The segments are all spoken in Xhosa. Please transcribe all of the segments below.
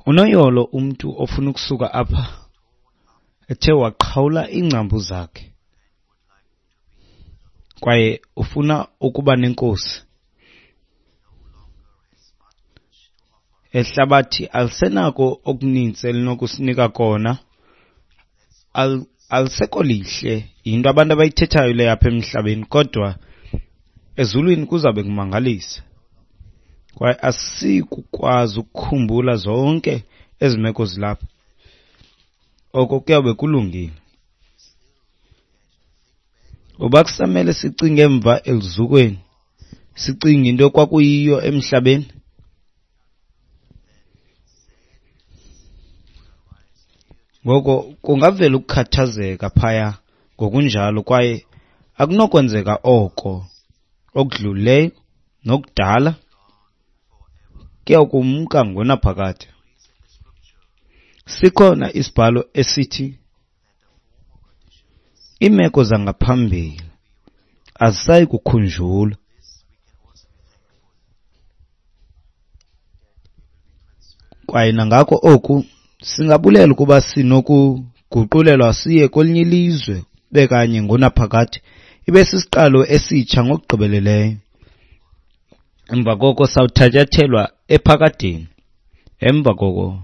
Unoyolo umntu ofuna ukusuka apha ethe waqhawula iingcambu zakhe kwaye ufuna ukuba nenkosi. Ehlabathi alisenako okuninzi elinokusinika kona, alisekho lihle. Yinto abantu abayithethayo le apha emhlabeni, kodwa ezulwini kuzawube kumangalisa. Kwaye asikukwazi ukukhumbula zonke ezi meko zilapha. Oko kuyawube kulungile. Uba kusamele sicinge emva eluzukweni, sicinge into ekwakuyiyo emhlabeni, ngoko kungavela ukukhathazeka phaya ngokunjalo, kwaye akunokwenzeka oko okudlulileyo nokudala kuyakumka ngonaphakade. Sikhona isibhalo esithi iimeko zangaphambili azisayi kukhunjulwa. Kwaye nangako oku singabulela ukuba sinokuguqulelwa siye kwelinye ilizwe bekanye ngonaphakade, ibe sisiqalo esitsha ngokugqibeleleyo. Emva koko sawuthatyathelwa ephakadeni. Emva koko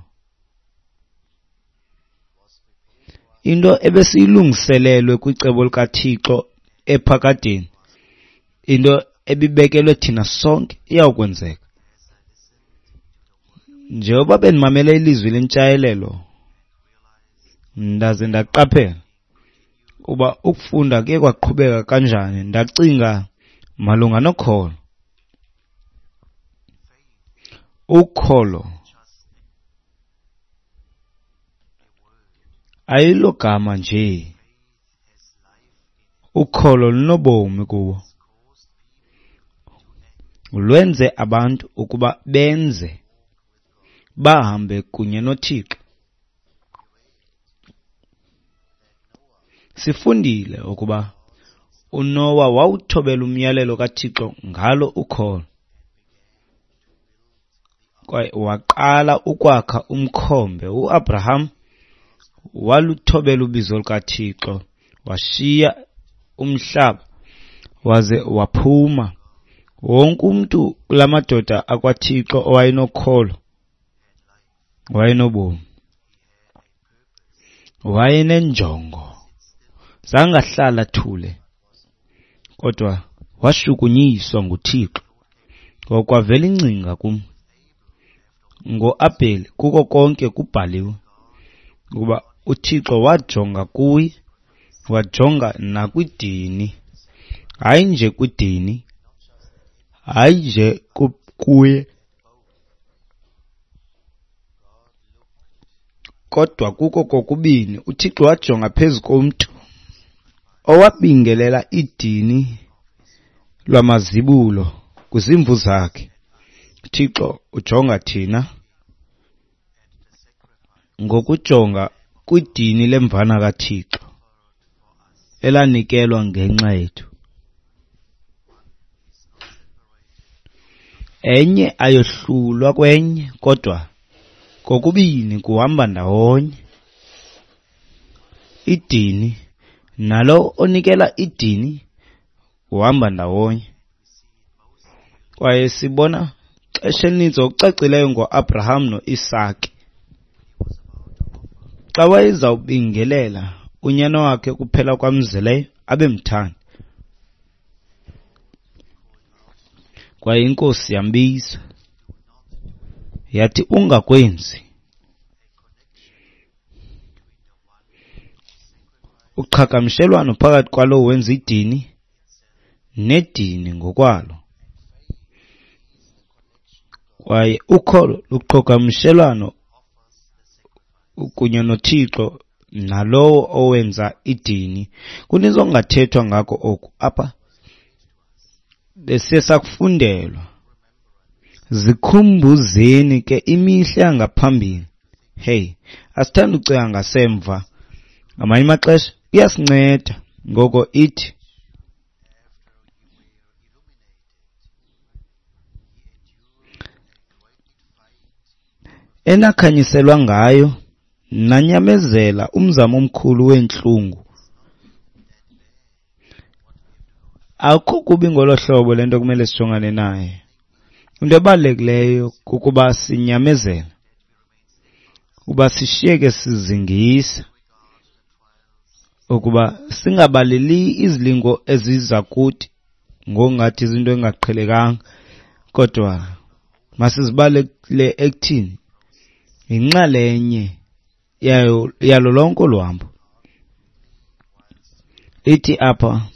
into ebesiyilungiselelwe kwicebo likaThixo ephakadeni, into ebibekelwe thina sonke, iyawukwenzeka. Njengoba bendimamele ilizwi lentshayelelo, ndaze ndaqaphela uba ukufunda kuye kwaqhubeka kanjani, ndacinga malunga nokholo. Ukholo ayilogama nje, ukholo lunobomi kuwo. Lwenze abantu ukuba benze, bahambe kunye noThixo. Sifundile ukuba uNowa wawuthobela umyalelo kaThixo ngalo ukholo, kwaye waqala ukwakha umkhombe. UAbraham waluthobela ubizo lukaThixo, washiya umhlaba waze waphuma. Wonke umntu kula madoda akwaThixo owayenokholo wayenobomi, wayenenjongo. Zangahlala thule, kodwa washukunyiswa nguThixo. Ngokwavela ingcinga kum ngoAbheli, kuko konke kubhaliwe ukuba uThixo wajonga kuye, wajonga nakwidini, hayi nje kwidini, hayi nje kuye, kodwa kuko kokubini. uThixo wajonga phezu komntu owabingelela idini lwamazibulo kwizimvu zakhe. uThixo ujonga thina ngokujonga kwidini lemvana kaThixo elanikelwa ngenxa yethu. Enye ayohlulwa kwenye, kodwa kokubini kuhamba ndawonye. Idini nalo onikela idini kuhamba ndawonye. Kwaye sibona xesha elininzi ngokucacileyo ngoAbraham noIsake. Xa wayezawubingelela unyana wakhe kuphela kwamzeleyo abemthanda, kwaye inkosi yambiza yathi, ungakwenzi. Uqhagamshelwano phakathi kwalowo wenza idini nedini ngokwalo. Kwaye ukholo luqhagamshelwano kunye noThixo nalowo owenza idini. Kuninzi okungathethwa ngako oku apha, besiye sakufundelwa. Zikhumbuzeni ke imihla yangaphambili. Hey, asithandi ucinga ngasemva. Ngamanye amaxesha kuyasinceda. Ngoko ithi Enakhanyiselwa ngayo, nanyamezela umzamo omkhulu weentlungu. Akukho kubi ngolo hlobo le nto kumele sijongane naye. Into ebalulekileyo kukuba sinyamezele, ukuba sishiyeke sizingisa, ukuba singabaleli izilingo eziza kuthi ngokungathi izinto engaqhelekanga, kodwa masizibalele ekuthini yinxalenye yayo yalo lonke olu hambo. Ithi apha,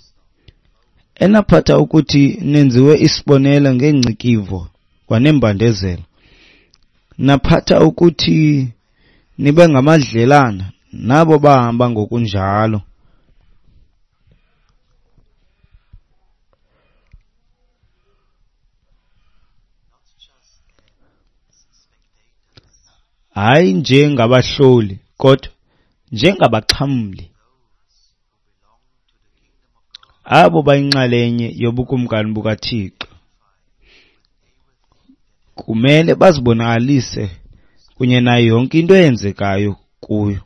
enaphatha ukuthi nenziwe isibonelo ngeengcikivo kwaneembandezelo, naphatha ukuthi nibe ngamadlelana nabo bahamba ngokunjalo. Hayi njengabahloli, kodwa njengabaxhamli, abo bayinxalenye yobukumkani bukaThixo kumele bazibonakalise kunye nayo yonke into eyenzekayo kuyo.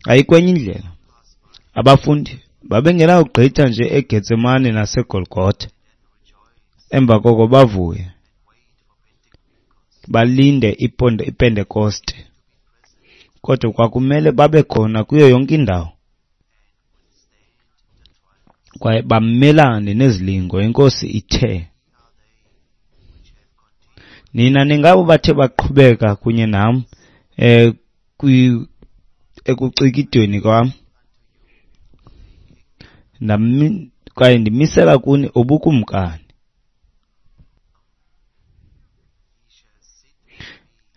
Ayikho enye indlela. Abafundi babengenawugqitha nje eGetsemane naseGolgotha, emva koko bavuye balinde iPentekoste, kodwa kwakumele babe khona kuyo yonke indawo kwaye bamelane nezilingo. INkosi ithe, nina ningabo bathe baqhubeka kunye nam ekucikidweni kwam, kwaye ndimisela kuni ubukumkani.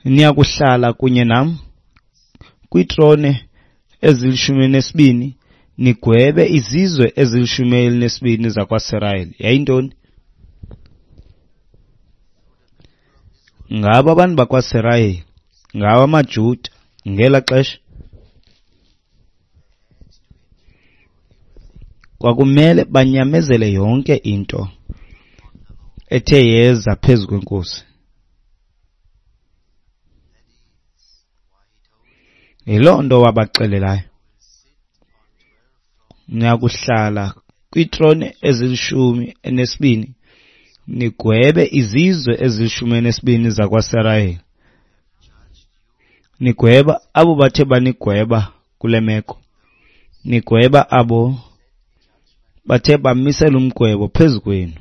Niyakuhlala kunye nam kwiitrone ezili-12, nigwebe izizwe ezili-12 zakwaSirayeli. Yayintoni? Ngabo abantu bakwaSirayeli, ngawo amaJuda ngela xesha. Kwakumele banyamezele yonke into ethe yeza phezu kwenkosi. Yiloo nto wabaxelelayo, niyakuhlala kwiitrone ezili-12, nigwebe izizwe ezili-12 zakwaSirayeli, nigweba abo bathe banigweba kule meko, nigweba abo bathe bamisela umgwebo phezu kwenu,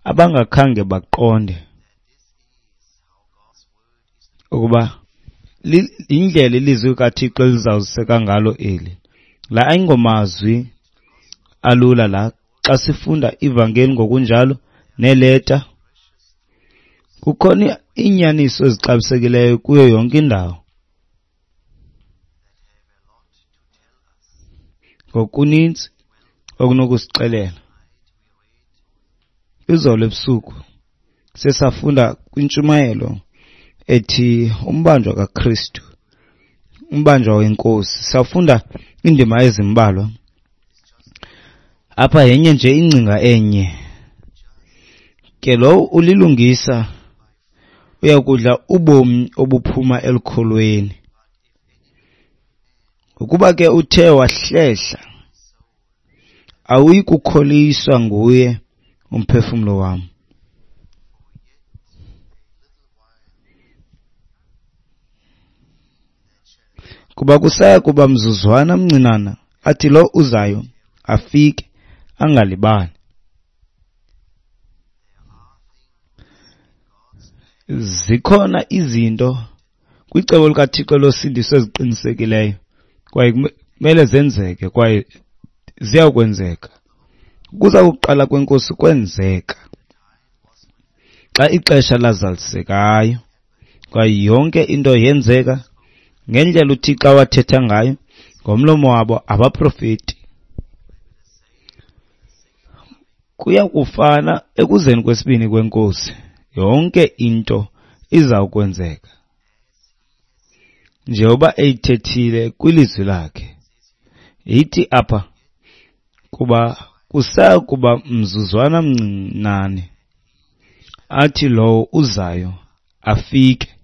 abangakhange baqonde ukuba indlela ilizwi kaThixo elizawuziseka ngalo eli. La ayingomazwi alula la. Xa sifunda ivangeli ngokunjalo neeleta, kukhona iinyaniso ezixabisekileyo kuyo yonke indawo. Ngokuninzi okunokusixelela. Izolo ebusuku sesafunda kwintshumayelo ethi umbanjwa kaKristu, umbanjwa wenkosi. Safunda indima ezimbalwa. Apha yenye nje ingcinga enye. Ke lo ulilungisa uyakudla ubomi obuphuma elukholweni. Ukuba ke uthe wahlehla, awuyi kukholiswa nguye umphefumlo wam. Kuba kusaya kuba mzuzwana mncinana, athi lo uzayo afike angalibali. Zikhona izinto kwicebo likaThixo losindiso eziqinisekileyo, kwaye kumele zenzeke, kwaye ziyakwenzeka. Ukuza kokuqala kwenkosi kwenzeka xa ixesha lazalisekayo, kwaye yonke into yenzeka ngendlela uThixo awathetha ngayo ngomlomo wabo abaprofeti. Kuya kufana ekuzeni kwesibini kwenkosi, yonke into izawukwenzeka njengoba eyithethile kwilizwi lakhe. Ithi apha, kuba kusaya kuba mzuzwana mncinane, athi lowo uzayo afike.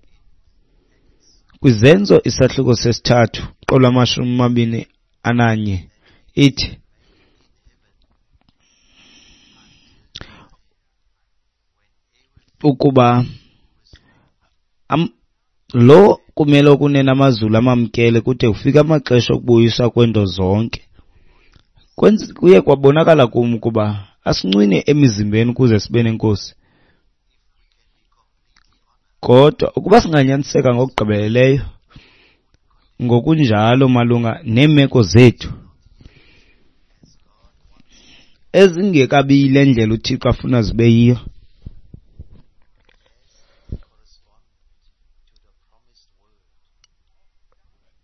KwiZenzo isahluko sesithathu qolwamashumi amabini ananye ithi, ukuba lo kumele okunene amazulu amamkele kude kufike amaxesha okubuyiswa kweento zonke. Kuye kwabonakala kum ukuba asincwine emizimbeni ukuze sibe nenkosi. Kodwa ukuba singanyaniseka ngokugqibeleleyo ngokunjalo malunga neemeko zethu ezingekabi yile ndlela uThixo afuna zibe yiyo,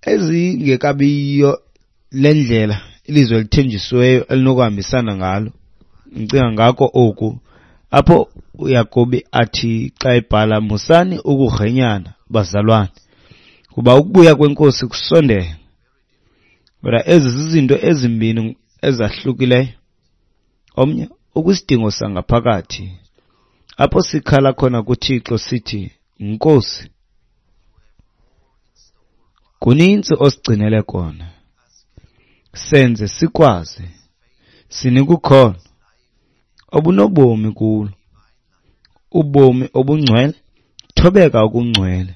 ezingekabi yiyo le ndlela ilizwe elithenjisiweyo elinokuhambisana ngalo. Ndicinga ngako oku apho uYakobi athi xa ebhala, musani ukugrenyana bazalwane, kuba ukubuya kweNkosi kusondele. Kodwa ezi zizinto ezimbini ezahlukileyo. Omnye ukwisidingo sangaphakathi apho sikhala khona kuThixo sithi, Nkosi, kuninzi osigcinele kona, senze sikwazi, sinika ukholo obunobomi kulo, ubomi obungcwele, thobeka okungcwele,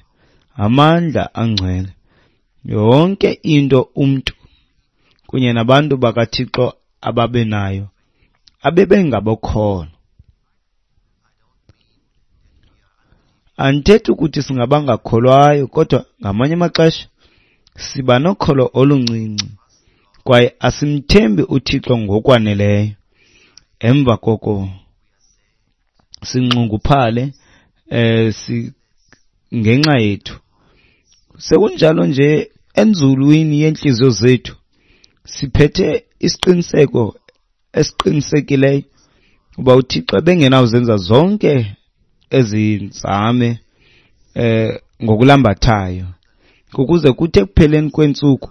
amandla angcwele, yonke into umntu kunye nabantu bakaThixo ababenayo abebengabokholo. Andithethi ukuthi singabangakholwayo, kodwa ngamanye amaxesha siba nokholo oluncinci kwaye asimthembi uThixo ngokwaneleyo. Emva koko sinxunguphale ngenxa yethu. Sekunjalo nje enzulwini yeentliziyo zethu siphethe isiqiniseko esiqinisekileyo uba uThixo ebengenawuzenza zonke ezi nzame ngokulambathayo, ukuze kuthi ekupheleni kweentsuku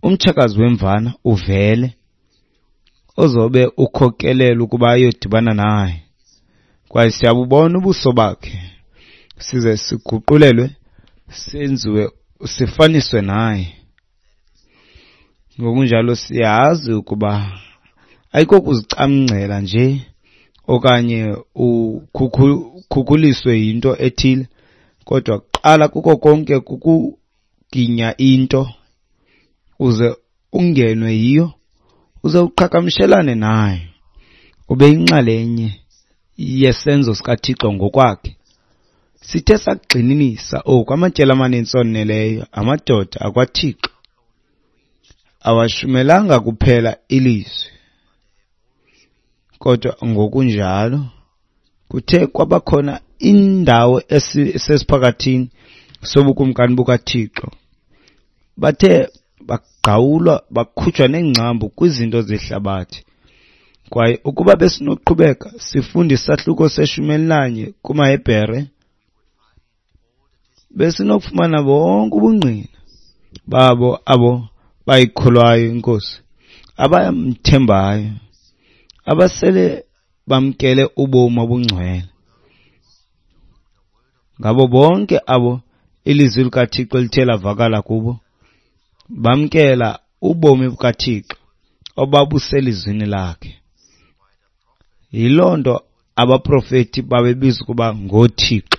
umtshakazi wemvana uvele ozobe ukhokelela ukuba ayodibana naye, kwaye siyabubona ubuso bakhe size siguqulelwe senziwe sifaniswe naye. Ngokunjalo siyazi ukuba ayikokuzicamngcela nje okanye ukhukhuliswe yinto ethile, kodwa kuqala kuko konke kukuginya into uze ungenwe yiyo, uze uqhagamshelane nayo, ube yinxalenye yesenzo sikaThixo ngokwakhe. Sithe sakugxininisa oku amatyeli amaninzi oneleyo, amadoda akwaThixo awashumelanga kuphela ilizwi, kodwa ngokunjalo kuthe kwabakhona indawo esesiphakathini sobukumkani bukaThixo. Bathe bagqawulwa bakhutshwa neengcambu kwizinto zehlabathi. Kwaye ukuba besinoqhubeka sifunde isahluko seshumi elinanye kumaHebhere, besinokufumana bonke ubungqina babo abo bayikholwayo iNkosi, abamthembayo, abasele bamkele ubomi obungcwele. Ngabo bonke abo ilizwi likaThixo lithe lavakala kubo, bamkela ubomi bukaThixo obabuselizwini lakhe. Yiloo nto abaprofeti babebizwa ukuba ngooThixo.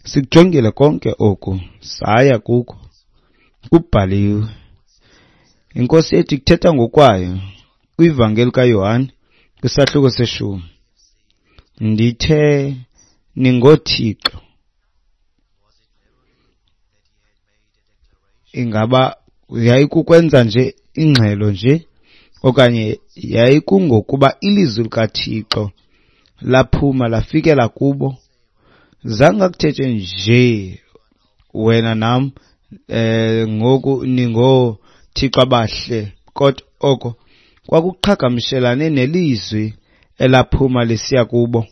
Sikujongile konke oku, saya kuko, kubhaliwe. INkosi yethu ikuthetha ngokwayo kwivangeli kaYohane kwisahluko seshumi. Ndithe ningooThixo. Ingaba yayikukwenza nje ingxelo nje, okanye yayikungokuba ilizwi likaThixo laphuma lafikela kubo? Zange akuthethe nje wena nam ngoku ningooThixo abahle, kodwa oko kwakuqhagamshelane nelizwi elaphuma lisiya kubo.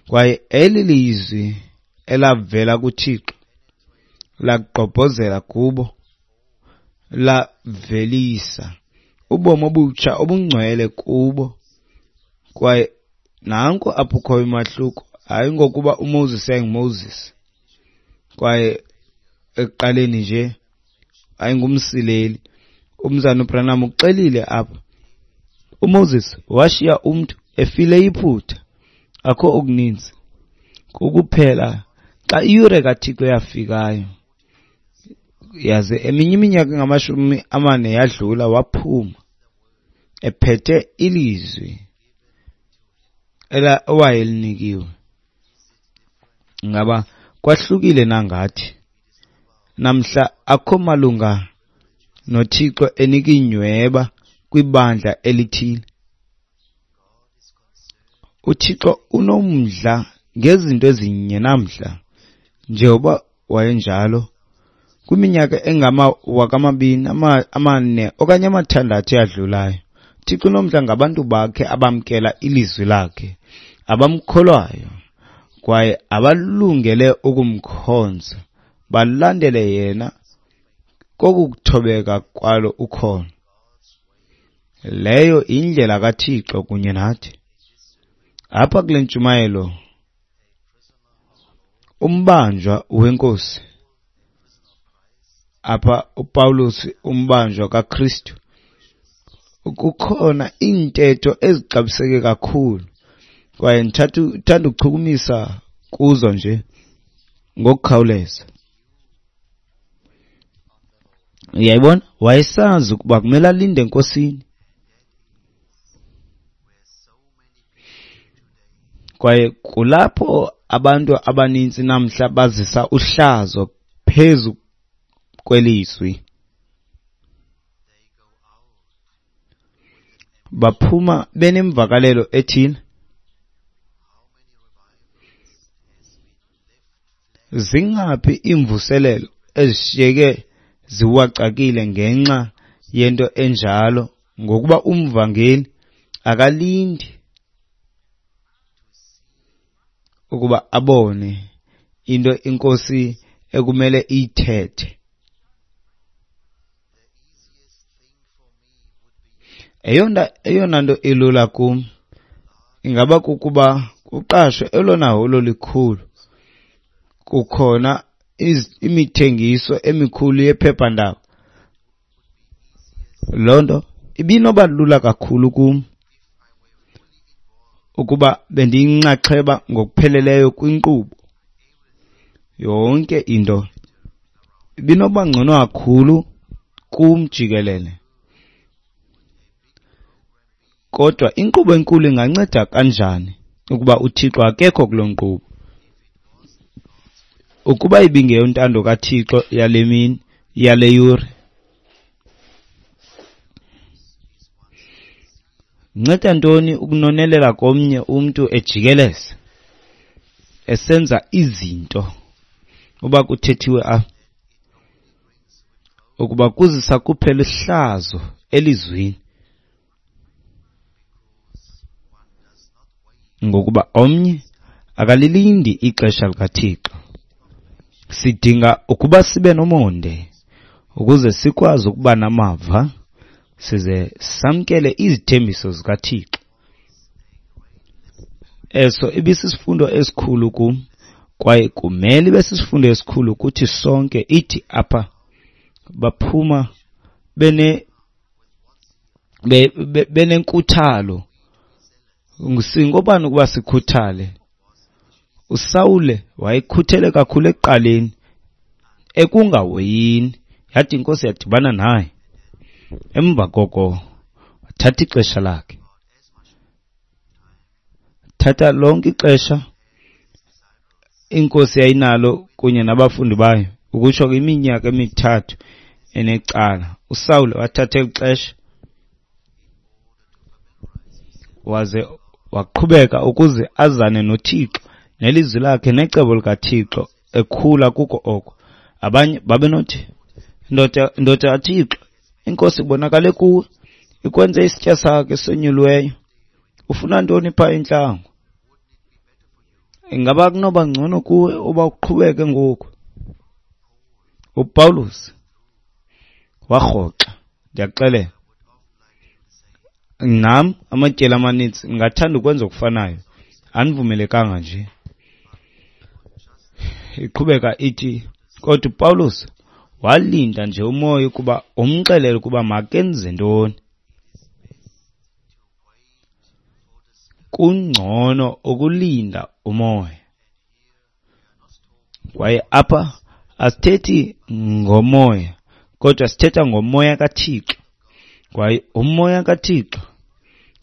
Kwaye eli lizwi elavela kuThixo lagqobhozela kubo, lavelisa ubomi obutsha obungcwele kubo. Kwaye nanko apho ukhoyo umahluko, hayi ngokuba uMoses yayinguMoses kwaye ekuqaleni nje ayingumsileli. Umzana uBranham uxelile apha. UMoses washiya umntu efile iphutha. Akho okuninzi. Kukuphela xa iyure kaThixo yafikayo, yaze eminye iminyaka engama-40 yadlula, waphuma ephethe ilizwi owayelinikiwe. Ngaba kwahlukile nangathi namhla? Akho malunga noThixo enika iinyweba kwibandla elithile. UThixo unomdla ngezinto ezinye namhla njengoba wayenjalo kwiminyaka engama-2400 okanye 600 eyadlulayo. UThixo unomdla ngabantu bakhe abamkela ilizwi lakhe, abamkholwayo kwaye abalungele ukumkhonza, balandele yena kokuthobeka kwalo ukholo. Leyo indlela kaThixo kunye nathi. Apha kule ntshumayelo, umbanjwa weNkosi, apha uPawulos umbanjwa kaKristu, kukhona iintetho ezixabiseke kakhulu kwaye ndithanda ukuchukumisa kuzo nje ngokukhawuleza. Uyayibona, wayesazi ukuba kumele alinde eNkosini. Kwaye kulapho abantu abaninzi namhla bazisa uhlazo phezu kwelizwi. Baphuma benemvakalelo ethile. Zingaphi iimvuselelo ezishiyeke ziwacakile ngenxa yento enjalo, ngokuba umvangeli akalindi ukuba abone into iNkosi ekumele iyithethe. Eyona nto ilula kum ingaba kukuba kuqashwe elona holo likhulu. Kukhona imithengiso emikhulu yephephandaba. Loo nto ibinoba lula kakhulu kum ukuba bendiyinxaxheba ngokupheleleyo kwinkqubo. Yonke into ibinoba ngcono kakhulu kum jikelele. Kodwa inkqubo enkulu inganceda kanjani ukuba uThixo akekho kuloo nkqubo? Ukuba ibingeyontando kaThixo yale mini, yale yure, nceda ntoni ukunonelela komnye umntu ejikeleza esenza izinto uba kuthethiwe apha ukuba kuzisa kuphela ihlazo elizwini, ngokuba omnye akalilindi ixesha likaThixo. Sidinga ukuba sibe nomonde ukuze sikwazi ukuba namava size samkele izithembiso zikaThixo. Eso ibisisifundo esikhulu kum, kwaye kumele ibe sisifundo esikhulu kuthi sonke. Ithi apha baphuma benenkuthalo. Singobani ukuba sikhuthale? uSawule wayekhuthele kakhulu ekuqaleni, ekungahoyini, yathi iNkosi yadibana naye. Emva koko wathatha ixesha lakhe, thatha lonke ixesha iNkosi yayinalo kunye nabafundi bayo, ukutsho kwiminyaka 3 enecala. uSawule wathatha eli xesha waze waqhubeka ukuze azane noThixo nelizwi lakhe necebo likaThixo, ekhula kuko oko. Abanye babenothi, ndoda kaThixo, iNkosi ibonakale kuwe, ikwenze isitya sakhe esonyuliweyo. Ufuna ntoni phaa entlango? Ingaba kunoba ngcono kuwe uba uqhubeke ngoku? uPawulos warhoxa, ndiyakuxelela. Nam amatyeli amaninzi ngingathanda ukwenza okufanayo, andivumelekanga nje. Iqhubeka ithi Kodwa uPawulos walinda nje umoya ukuba umxelele ukuba makenze ntoni. Kungcono ukulinda umoya. Kwaye apha asithethi ngomoya, kodwa sithetha ngomoya kaThixo. Kwaye umoya kaThixo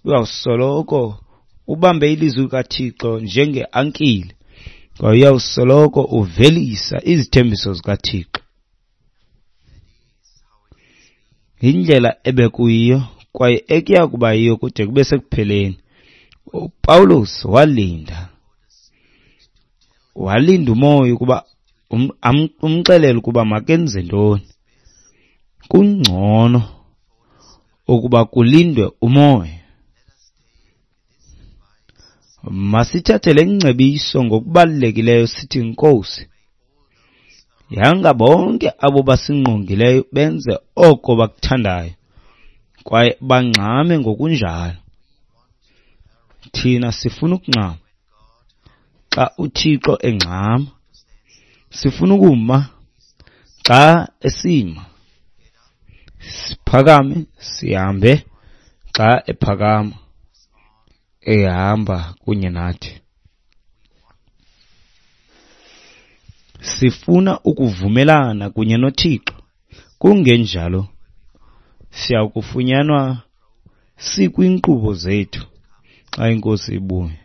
uyawusoloko ubambe ilizwi likaThixo njengeankile, kwaye uyawusoloko uvelisa izithembiso zikaThixo. Yindlela ebekuyiyo kwaye ekuya kuba yiyo kude kube sekupheleni. uPawulos walinda umoya ukuba umxelele ukuba makenze ntoni. Kungcono ukuba kulindwe umoya. Masithathe le ngcebiso ngokubalulekileyo sithi, Nkosi, yanga bonke abo basingqongileyo benze oko bakuthandayo kwaye bangxame ngokunjalo. Thina sifuna ukungxama xa uThixo engxama, sifuna ukuma xa esima, siphakame sihambe xa ephakama ehamba kunye nathi. Sifuna ukuvumelana kunye noThixo, kungenjalo siya kufunyanwa sikwiinkqubo zethu xa iNkosi ibuya.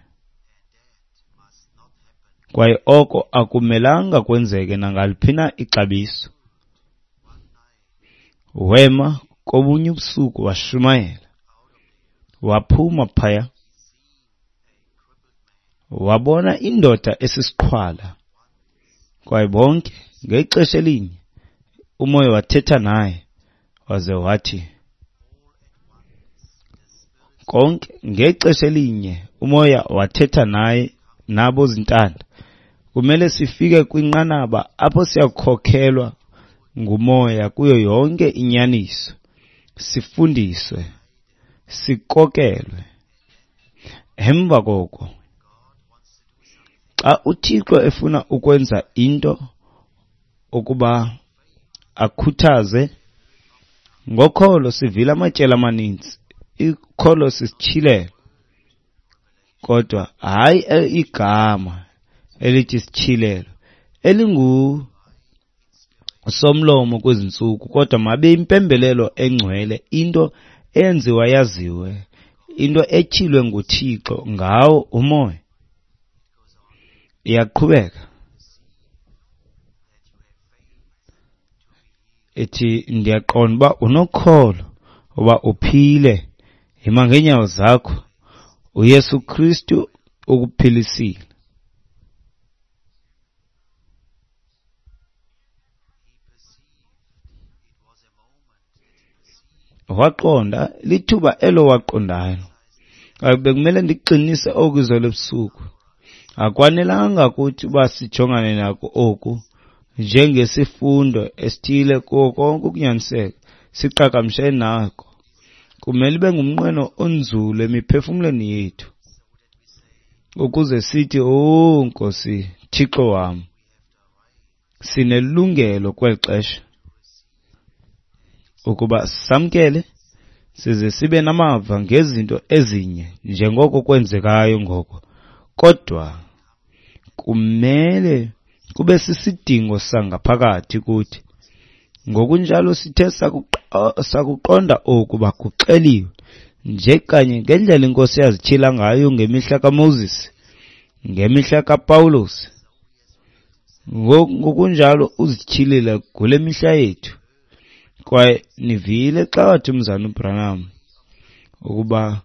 Kwaye oko akumelanga kwenzeke nangaliphi na ixabiso. Wema kobunye ubusuku washumayela, waphuma phaya, wabona indoda esisiqhwala. Kwaye bonke ngexesha elinye umoya wathetha naye waze wathi, konke ngexesha elinye umoya wathetha naye nabo zintanda. Kumele sifike kwinqanaba apho siyakhokhelwa ngumoya kuyo yonke inyaniso, sifundiswe, sikokelwe. Emva koko xa uThixo efuna ukwenza into ukuba akhuthaze ngokholo, sivile amatyeli amaninzi, ikholo sisityhilelo, kodwa hayi igama elithi sityhilelo elingu somlomo kwezi ntsuku, kodwa mabe impembelelo engcwele, into eyenziwa yaziwe, into etyhilwe nguThixo ngawo umoya. Iyaqhubeka ithi, ndiyaqonda uba unokholo uba uphile, yima ngeenyawo zakho, uYesu Kristu ukuphilisile. Waqonda, lithuba elo waqondayo. Bekumele ndikuqinise oku izolo ebusuku. Akwanelanga kuthi uba sijongane nako oku njengesifundo esithile kuwo konke ukunyaniseka, siqhagamshe nako. Kumele ibe ngumnqweno onzulu emiphefumlweni yethu ukuze sithi, "Oh Nkosi, Thixo wam, sinelungelo kweli xesha ukuba samkele size sibe namava ngezinto ezinye njengoko kwenzekayo ngoko." Kodwa kumele kube sisidingo sangaphakathi kuthi. Ngokunjalo sithe sakuqonda oku bakuxeliwe nje kanye ngendlela iNkosi yazityhila ngayo ngemihla kaMoses, ngemihla kaPawulos, ngokunjalo uzityhilile kule mihla yethu. Kwaye nivile xa wathi umzana uBranham ukuba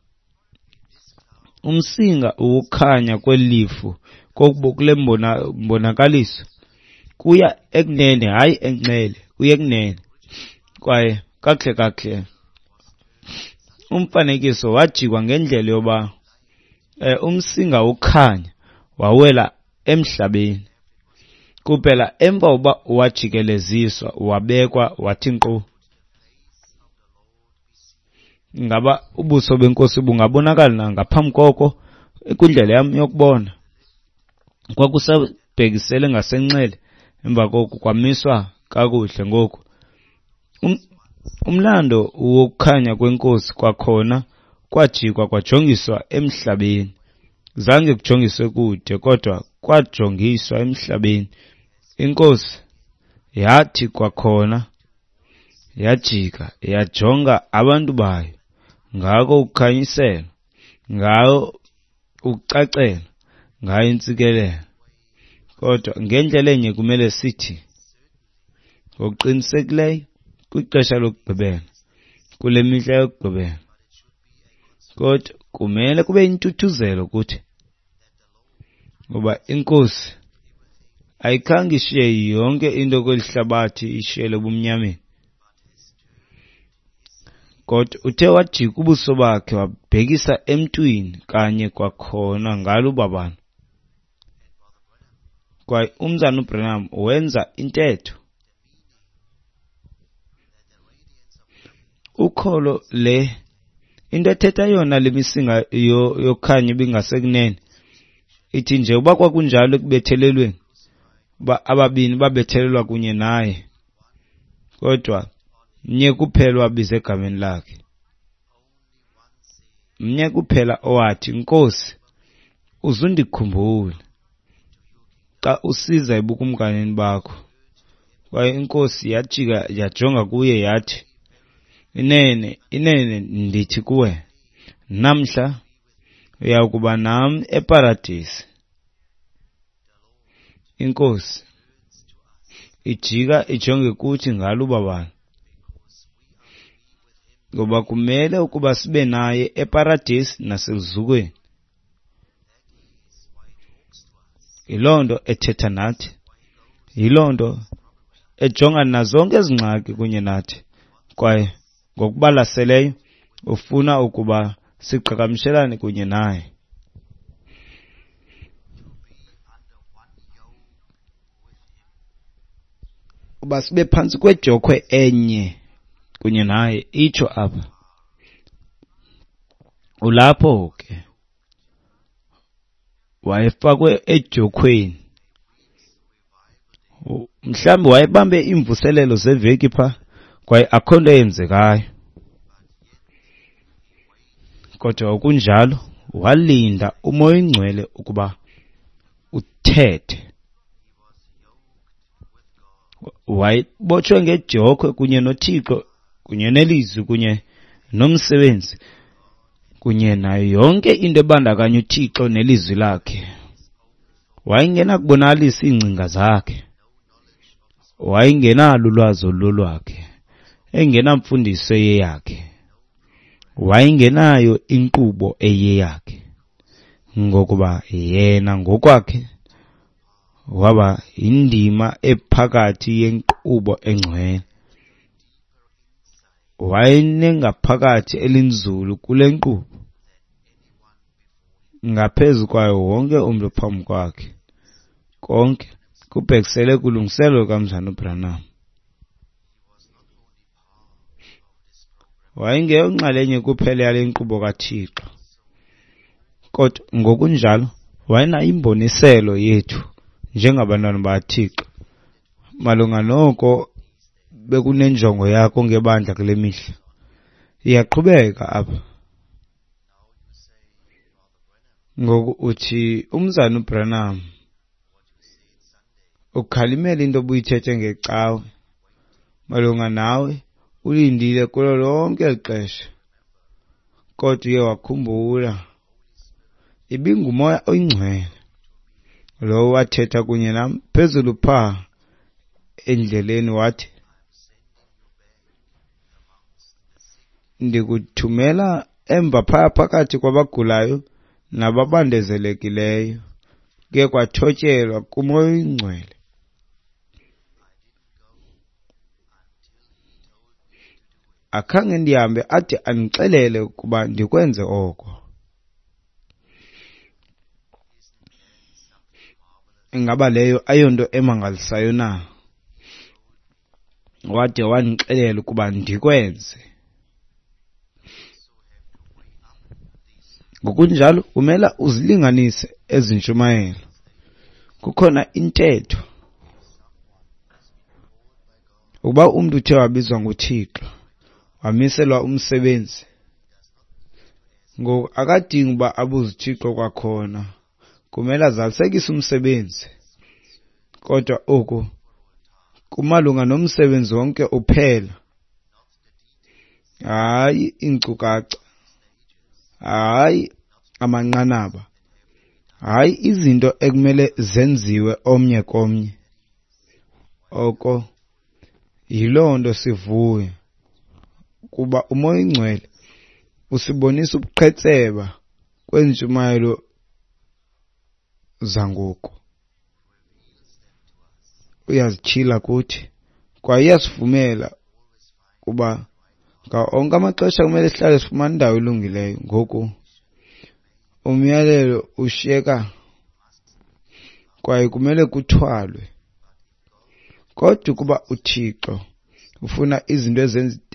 umsinga ukukhanya kwelifu kule mbonakaliso kuya ekunene, hayi enxele, kuya ekunene. Kwaye kakuhle kakuhle umfanekiso wajikwa ngendlela yoba umsinga ukhanya wawela emhlabeni kuphela emva uba wajikeleziswa wabekwa wathi nkqu. Ngaba ubuso benkosi bungabonakala na ngaphambi koko? Kwindlela yam yokubona kwakusabhekisele ngasenxele Emva koko kwamiswa kakuhle. Ngoku umlando wokukhanya kweNkosi kwakhona kwajikwa kwajongiswa emhlabeni. Zange kujongiswe kude, kodwa kwajongiswa emhlabeni. INkosi yathi kwakhona yajika yajonga abantu bayo, ngako ukukhanyisela, ngayo ukucacela, ngayo intsikelelo. Kodwa ngendlela enye kumele sithi ngokuqinisekileyo kwixesha lokugqibela, kule mihla yokugqibela. Kodwa kumele kube yintuthuzelo kuthi, ngoba iNkosi ayikhange ishiye yonke into kweli hlabathi ishiyele ebumnyameni. Kodwa uthe wajika ubuso bakhe wabhekisa emntwini kanye kwakhona ngalo ubabalo. Kwaye uMzana uBranham wenza intetho. Ukholo le into ethetha yona le misinga yokhanya ibingasekunene ithi nje uba kwakunjalo ekubethelelweni, uba ababini babethelelwa kunye naye, kodwa mnye kuphela owabiza egameni lakhe, mnye kuphela owathi, Nkosi, uzundikhumbule xa usiza ebukumkanini bakho. Kwaye iNkosi yajika yajonga kuye yathi, inene, inene ndithi kuwe, namhla uya kuba nam eParadesi. INkosi ijika ijonge kuthi ngalo ubabalo, ngoba kumele ukuba sibe naye eParadesi naseluzukweni. Yiloo nto ethetha nathi, yiloo nto ejongana nazonke ezi ngxaki kunye nathi, kwaye ngokubalaseleyo ufuna ukuba siqhagamshelane kunye naye. Uba sibe phantsi kwedyokhwe enye kunye naye, itsho apha. Ulapho ke wayefakwe edyokhweni. Mhlawumbi wayebambe iimvuselelo zeveki pha, kwaye akho nto eyenzekayo. Kodwa kunjalo walinda uMoya oyiNgcwele ukuba uthethe. Wayebotshwe ngedyokhwe kunye noThixo, kunye nelizwi, kunye nomsebenzi, kunye nayo yonke into ebandakanya uThixo nelizwi lakhe. Wayengenakubonakalisa iingcinga zakhe, wayengenalo ulwazi olulolwakhe, engenamfundiso eyeyakhe, wayengenayo inkqubo eyeyakhe, ngokuba yena ngokwakhe waba yindima ephakathi yenkqubo engcwele. Wayenengaphakathi elinzulu kule nkqubo ngaphezu kwayo wonke umntu phambi kwakhe. Konke kubhekisele kulungiselelo lukaMzana uBranham. Wayengeyonxalenye kuphela yale nkqubo kaThixo, kodwa ngokunjalo wayenayo imboniselo yethu njengabantwana bakaThixo malunga noko bekunenjongo yakho ngebandla kule mihla. Iyaqhubeka apha. Ngoku uthi uMzana uBranham ukhalimela into obuyithethe ngecawe malunga nawe, ulindile kulo lonke eli xesha, kodwa uye wakhumbula ibinguMoya oyiNgcwele lowo wathetha kunye nam phezulu phaa endleleni, wathi, ndikuthumela emva phaya phakathi kwabagulayo nababandezelekileyo. Kuye kwathotyelwa kuMoya oyiNgcwele. Akhange ndihambe ade andixelele ukuba ndikwenze oko. Ingaba leyo ayonto emangalisayo na? Wade wandixelela ukuba ndikwenze. Ngokunjalo kumele uzilinganise ezi ntshumayelo. Kukhona intetho. Ukuba umntu uthe wabizwa nguThixo, wamiselwa umsebenzi, ngoku akadingi uba abuze uThixo kwakhona. Kumele azalisekise umsebenzi. Kodwa oku kumalunga nomsebenzi wonke uphela, hayi iinkcukacha, hayi amanqanaba, hayi izinto ekumele zenziwe omnye komnye. Oko yiloo nto sivuya, kuba uMoya oyiNgcwele usibonisa ubuqhetseba kweentshumayelo zangoku. Uyazityhila kuthi kwaye uyasivumela kuba ngawo onke amaxesha kumele sihlale sifumana indawo elungileyo. Ngoku umyalelo ushiyeka kwaye kumele kuthwalwe. Kodwa ukuba uThixo ufuna izinto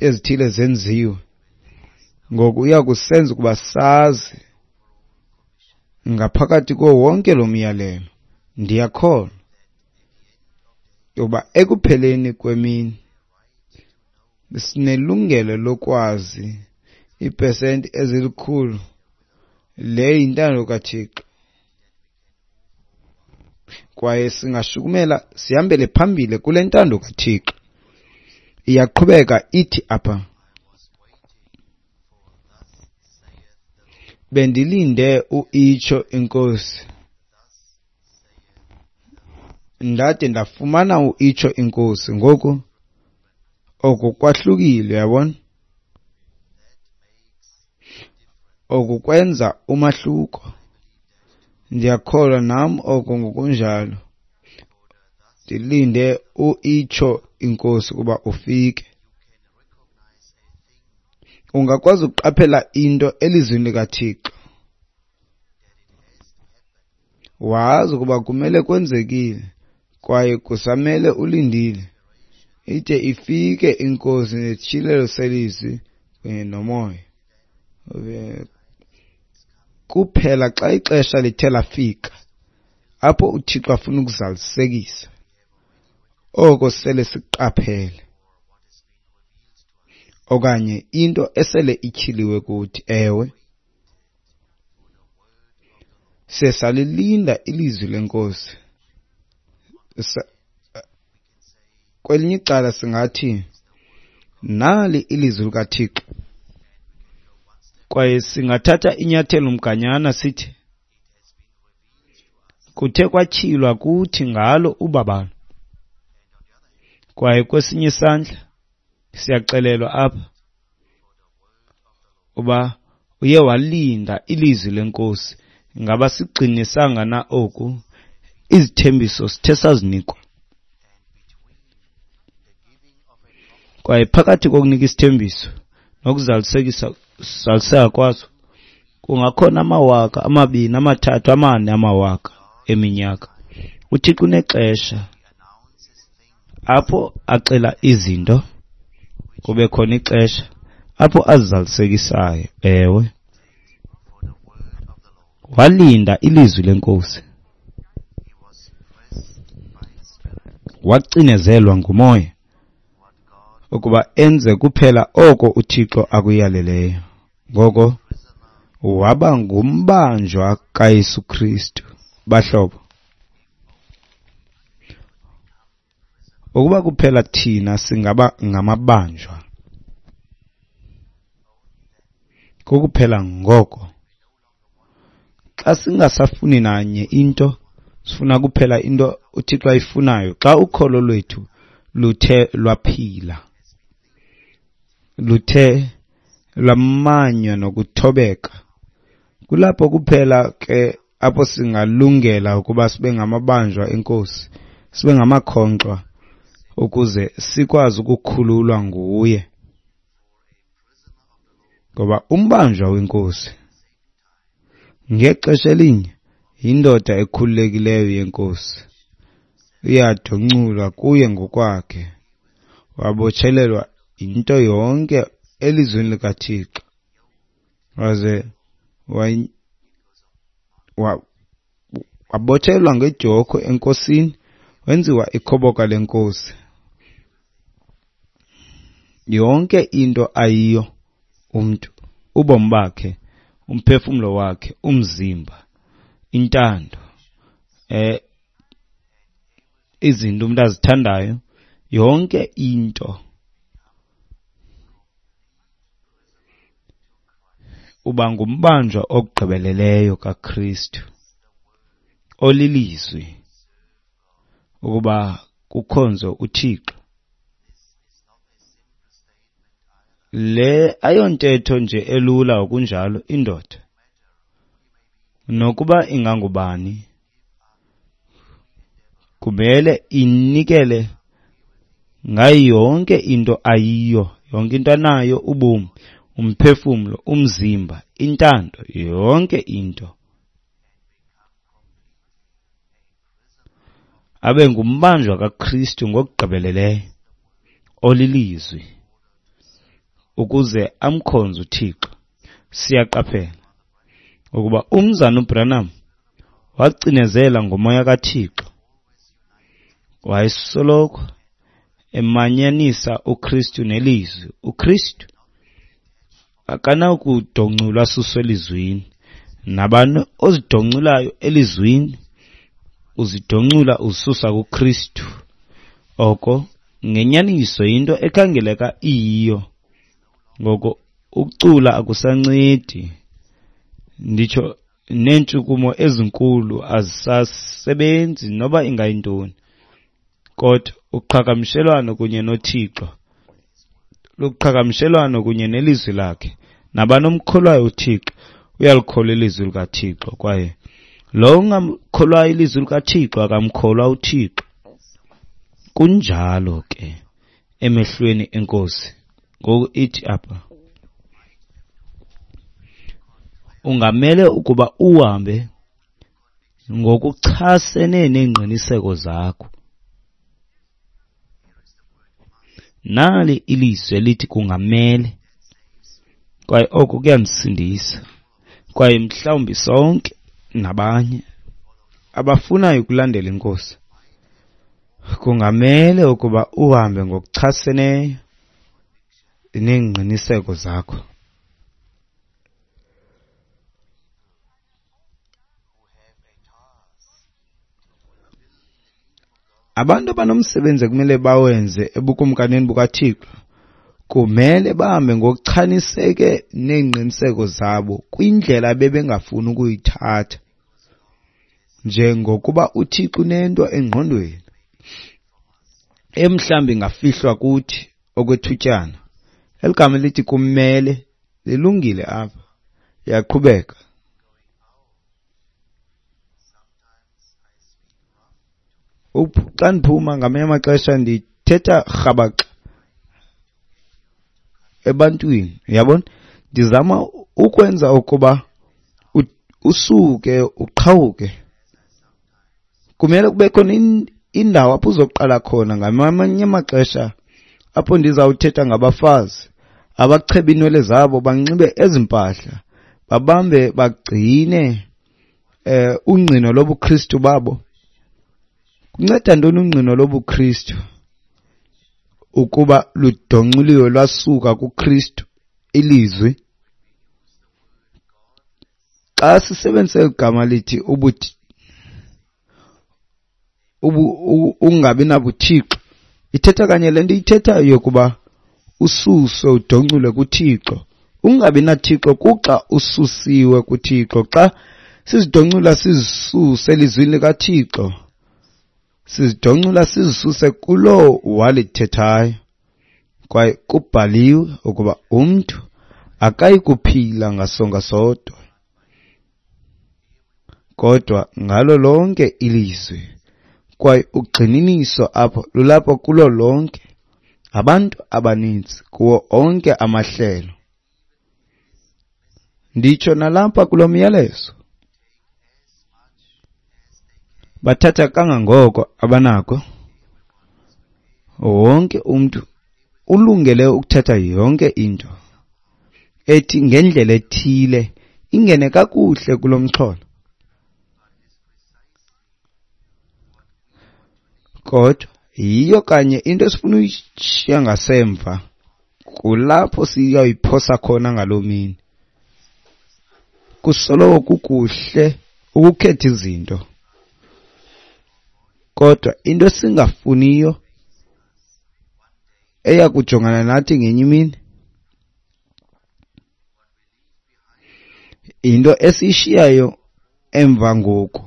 ezithile zenziwe, ngoku uya kusenza ukuba sazi ngaphakathi kuwo wonke lo myalelo. Ndiyakholwa ukuba ekupheleni kwemini sinelungelo lokwazi iipesenti ezilikhulu. Le yintando kaThixo, kwaye singashukumela sihambele phambili kule ntando kaThixo. Iyaqhubeka ithi apha, bendilinde uitsho inkosi, ndade ndafumana uitsho inkosi. Ngoku oku kwahlukile, uyabona? Oku kwenza umahluko. Ndiyakholwa nam oko ngokunjalo. Ndilinde uitsho inkosi ukuba ufike. Ungakwazi ukuqaphela into elizwini likaThixo, wazi ukuba kumele kwenzekile kwaye kusamele ulindile ide ifike inkosi nesityhilelo selizwi kunye nomoya. Kuphela xa ixesha lithe lafika apho uThixo afuna ukuzalisekisa oko sele siqaphele okanye into esele ityhiliwe kuthi. Ewe, siye salilinda ilizwi lenkosi. Kwelinye icala singathi nali ilizwi likaThixo, kwaye singathatha inyathelo mganyana sithi kuthe kwatyhilwa kuthi ngalo ubabalo. Kwaye kwesinye isandla siyaxelelwa apha uba uye walinda ilizwi lenkosi. Ngaba sigqinisanga na oku? Izithembiso sithe sazinikwa. Kwaye phakathi kokunika isithembiso nokuzalisekisa kwaso kungakhona amawaka amabini, amathathu, amane amawaka eminyaka. uThixo unexesha apho axela izinto, kube khona ixesha apho azizalisekisayo. Ewe, walinda ilizwi lenkosi, wacinezelwa ngumoya ukuba enze kuphela oko uThixo akuyaleleyo. Ngoko waba ngumbanjwa kaYesu Kristu. Bahlobo, ukuba kuphela thina singaba ngamabanjwa, kukuphela ngoko xa singasafuni nanye into, sifuna kuphela into uThixo ayifunayo. Xa ukholo lwethu luthe lwaphila, luthe lwamanywa nokuthobeka, kulapho kuphela ke apho singalungela ukuba sibe ngamabanjwa enkosi, sibe ngamakhonkxwa ukuze sikwazi ukukhululwa nguye. Ngoba umbanjwa wenkosi ngexesha elinye yindoda ekhululekileyo yenkosi, uyadonculwa kuye ngokwakhe, wabotshelelwa into yonke elizwini likaThixo, waze wabotshelelwa ngedyokhwe enkosini, wenziwa ikhoboka lenkosi. Yonke into ayiyo umntu, ubomi bakhe, umphefumlo wakhe, umzimba, intando, izinto umuntu azithandayo, yonke into uba ngumbanjwa ogqibeleleyo kaKristu olilizwi ukuba kukhonzwe uThixo. Le ayontetho nje elula okunjalo indoda, nokuba ingangubani, kumele inikele ngayo yonke into ayiyo, yonke into anayo, ubomi, umphefumlo, umzimba, intando, yonke into. Abe ngumbanjwa kaKristu ngokugqibeleleyo olilizwi ukuze amkhonze uThixo. Siyaqaphela ukuba umzana uBranham wacinezela ngomoya kaThixo, wayesoloko emanyanisa uKristu nelizwi. uKristu akanakudonculwa asuswe elizwini. Nabani ozidonculayo elizwini uzidoncula ususa kuKristu. Oko ngenyaniso yinto ekhangeleka iyiyo. Ngoko ukucula akusancedi, nditsho neentshukumo ezinkulu azisasebenzi noba ingayintoni, kodwa uqhagamshelwano kunye noThixo luqhagamshelwano kunye nelizwi lakhe. Nabani omkholwayo uThixo uyalikholwa ilizwi likaThixo, kwaye lo ungamkholwayo ilizwi likaThixo akamkholwa uThixo. Kunjalo ke emehlweni enkosi. Ngoku ithi apha, ungamele ukuba uhambe ngokuchasene neengqiniseko zakho. Nali ilizwi elithi kungamele, kwaye oko kuyandisindisa, kwaye mhlawumbi sonke nabanye abafunayo ukulandela iNkosi, kungamele ukuba uhambe ngokuchaseneyo neengqiniseko zakho. Abantu abanomsebenzi ekumele bawenze ebukumkanini bukaThixo kumele bahambe ngokuchaniseke neengqiniseko zabo kwindlela ebebengafuni ukuyithatha, njengokuba uThixo unento engqondweni emhlawumbi ingafihlwa kuthi okwethutyana. Eli gama lithi kumele lilungile apha. Iyaqhubeka. Xa ndiphuma ngamanye amaxesha ndithetha rhabaxa ebantwini, uyabona, ndizama ukwenza ukuba usuke uqhawuke. Kumele kube khona indawo apho uzoqala khona. Ngamanye amaxesha apho ndizawuthetha ngabafazi abacheba iinwele zabo, banxibe ezi mpahla, babambe bagcine ungqino lobuKristu babo. Kunceda ntoni ungqino lobuKristu ukuba ludonculiwe lwasuka kuKristu ilizwi? Xa sisebenzisa igama lithi ungabi nabuThixo, ithetha kanye le nto ithethayo yokuba ususwe udonculwe kuThixo. Ungabi naThixo kuxa ususiwe kuThixo. Xa sizidoncula sizisuse elizwini likaThixo, sizidoncula sizisuse kulowo walithethayo. Kwaye kubhaliwe ukuba umntu akayi kuphila ngasonka sodwa, kodwa ngalo lonke ilizwi. Kwaye ugxininiso apho lulapho kulo lonke, abantu abaninzi kuwo onke amahlelo. Nditsho nalapha kulo myalezo, bathatha kangangoko abanako. Wonke umntu ulungele ukuthatha yonke into ethi ngendlela ethile ingene kakuhle kulo mxholo. Kodwa yiyo kanye into esifuna uyishiya ngasemva Kulapho siyoyiphosa khona ngaloo mini. Kusoloko kukuhle ukukhetha izinto, kodwa into esingafuniyo eya kujongana nathi ngenye imini into esiyishiyayo emva ngoku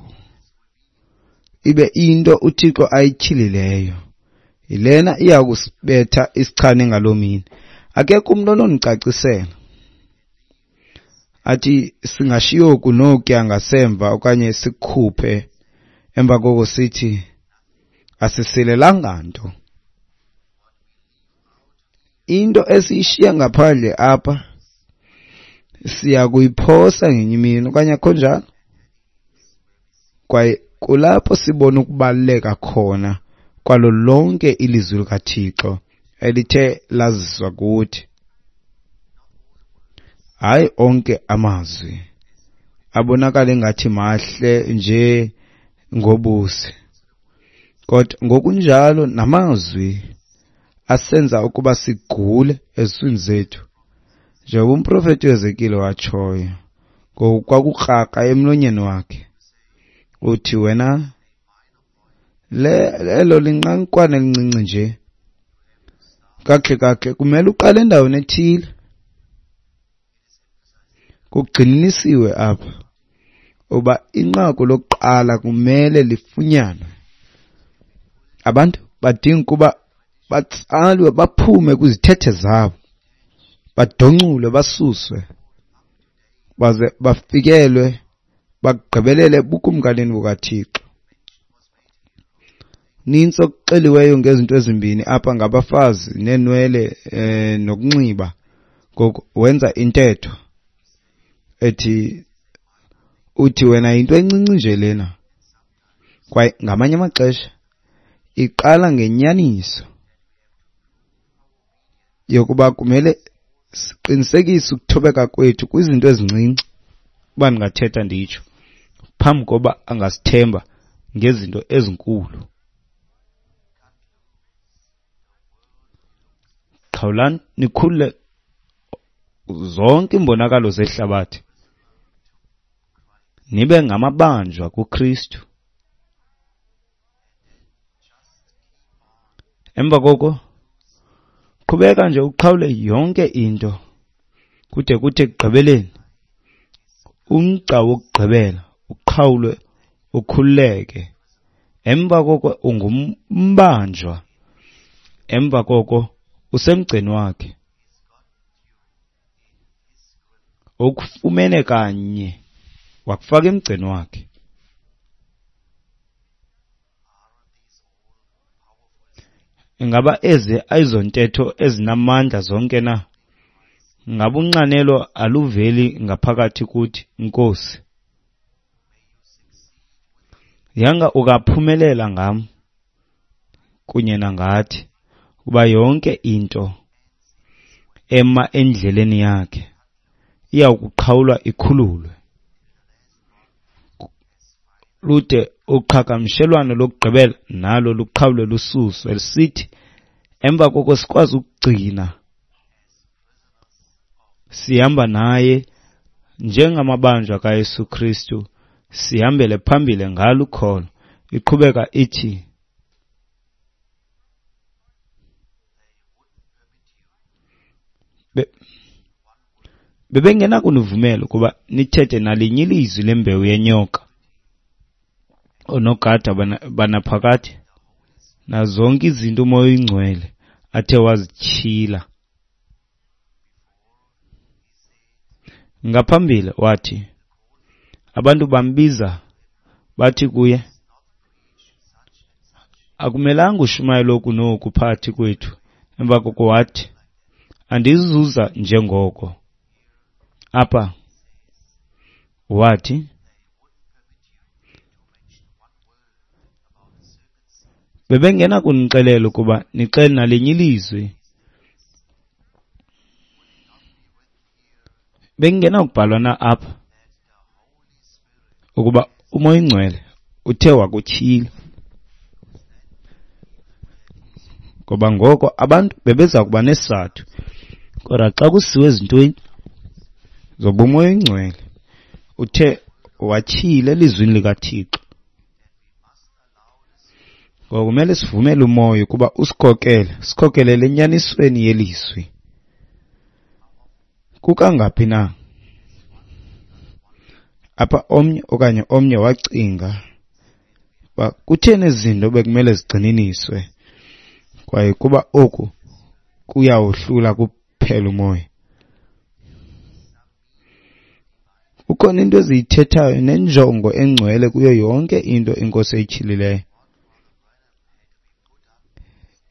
ibe into uThixo ayityhilileyo. Yilena iya kusibetha isichane ngaloo mini. Akekho umntu onondicacisela athi singashiya oku nokuya ngasemva okanye sikukhuphe emva koko sithi asisilelanga nto. Into esiyishiya ngaphandle apha siya kuyiphosa ngenye imini, okanye akho njalo? Kwaye kulapho sibona ukubaluleka khona kwalo lonke ilizwi likaThixo elithe laziswa kuthi. Hayi onke amazwi abonakala engathi mahle nje ngobusi, kodwa ngokunjalo namazwi asenza ukuba sigule eziswini zethu, njengoba umprofeti uEzekile watshoyo, ngoku kwakukrakra emlonyeni wakhe. Uthi wena, elo linqankwana elincinci nje, kakuhle kakuhle kumele uqale endaweni ethile. Kugxininisiwe apha uba inqaku lokuqala kumele lifunyanwe. Abantu badinga ukuba batsalwe baphume kwizithethe zabo, badonculwe basuswe, baze bafikelwe bagqibelele ebukumkanini bukaThixo. Nintsi okuxeliweyo ngezinto ezimbini apha, ngabafazi neenwele nokunxiba. Ngoku wenza intetho ethi, uthi wena yinto encinci nje lena, kwaye ngamanye amaxesha iqala ngenyaniso yokuba kumele siqinisekise ukuthobeka kwethu kwizinto ezincinci, uba ndingathetha nditsho, phambi koba angasithemba ngezinto ezinkulu. Qhawulani nikhulule zonke iimbonakalo zehlabathi, nibe ngamabanjwa kuKristu. Emva koko qhubeka nje uqhawule yonke into kude kuthi ekugqibeleni umgca wokugqibela uqhawulwe ukhululeke. Emva koko ungumbanjwa, emva koko usemgceni wakhe, ukufumene kanye wakufaka emgceni wakhe. Ingaba ezi ayizontetho ezinamandla zonke na? Ingaba unxanelo aluveli ngaphakathi kuthi, Nkosi? Yanga ukaphumelela ngam kunye nangathi, kuba yonke into ema endleleni yakhe iyawukuqhawulwa ikhululwe, lude uqhagamshelwano lokugqibela nalo luqhawulwe lususwe, sithi emva koko sikwazi ukugcina sihamba naye njengamabanjwa kaYesu Kristu, sihambele phambili ngalo ukholo. Iqhubeka ithi, bebengenakunivumela ukuba nithethe nalinye ilizwi lembewu yenyoka, oonogada banaphakade, nazonke izinto uMoya oyiNgcwele athe wazityhila. Ngaphambili wathi, abantu bambiza bathi kuye, akumelanga ushumayele oku noku phakathi kwethu. Emva koko wathi, andizuza njengoko. Apha wathi, bebengenakunixelela ukuba nixele nalinye ilizwi, bengenakubhalwa na apha ukuba uMoya oyiNgcwele uthe wakutyhila? Ngoba ngoko abantu bebeza kuba nesizathu Kodwa xa kusiwe ezintweni zobumoya oyingcwele, uthe watyhila elizwini likaThixo. Ngoko kumele sivumele umoya ukuba usikhokele, sikhokelele enyanisweni yelizwi. Kukangaphi na apha omnye okanye omnye wacinga uba kutheni ezi zinto bekumele zigxininiswe, kwaye kuba oku kuyawohlula kuphela umoya. Kukhona into eziyithethayo nenjongo engcwele kuyo yonke into iNkosi eyityhilileyo.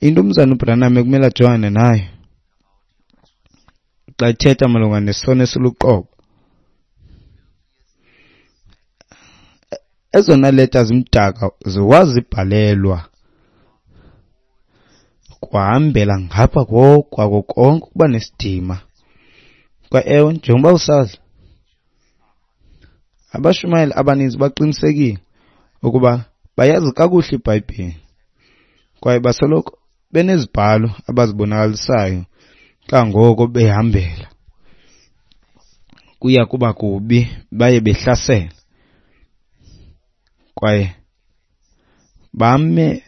Into umzana uBranham ekumele ajongane nayo xa ethetha malunga nesono esiluqobo, ezona leta zimdaka wazibhalelwa kuhambela ngapha kwako konke ukuba nesidima. Kwa ewe, njengoba usazi, abashumayeli abaninzi baqinisekile ukuba bayazi kakuhle iBhayibhile kwaye basoloko benezibhalo abazibonakalisayo kangoko behambela. Kuya kuba kubi, baye behlasela kwaye bame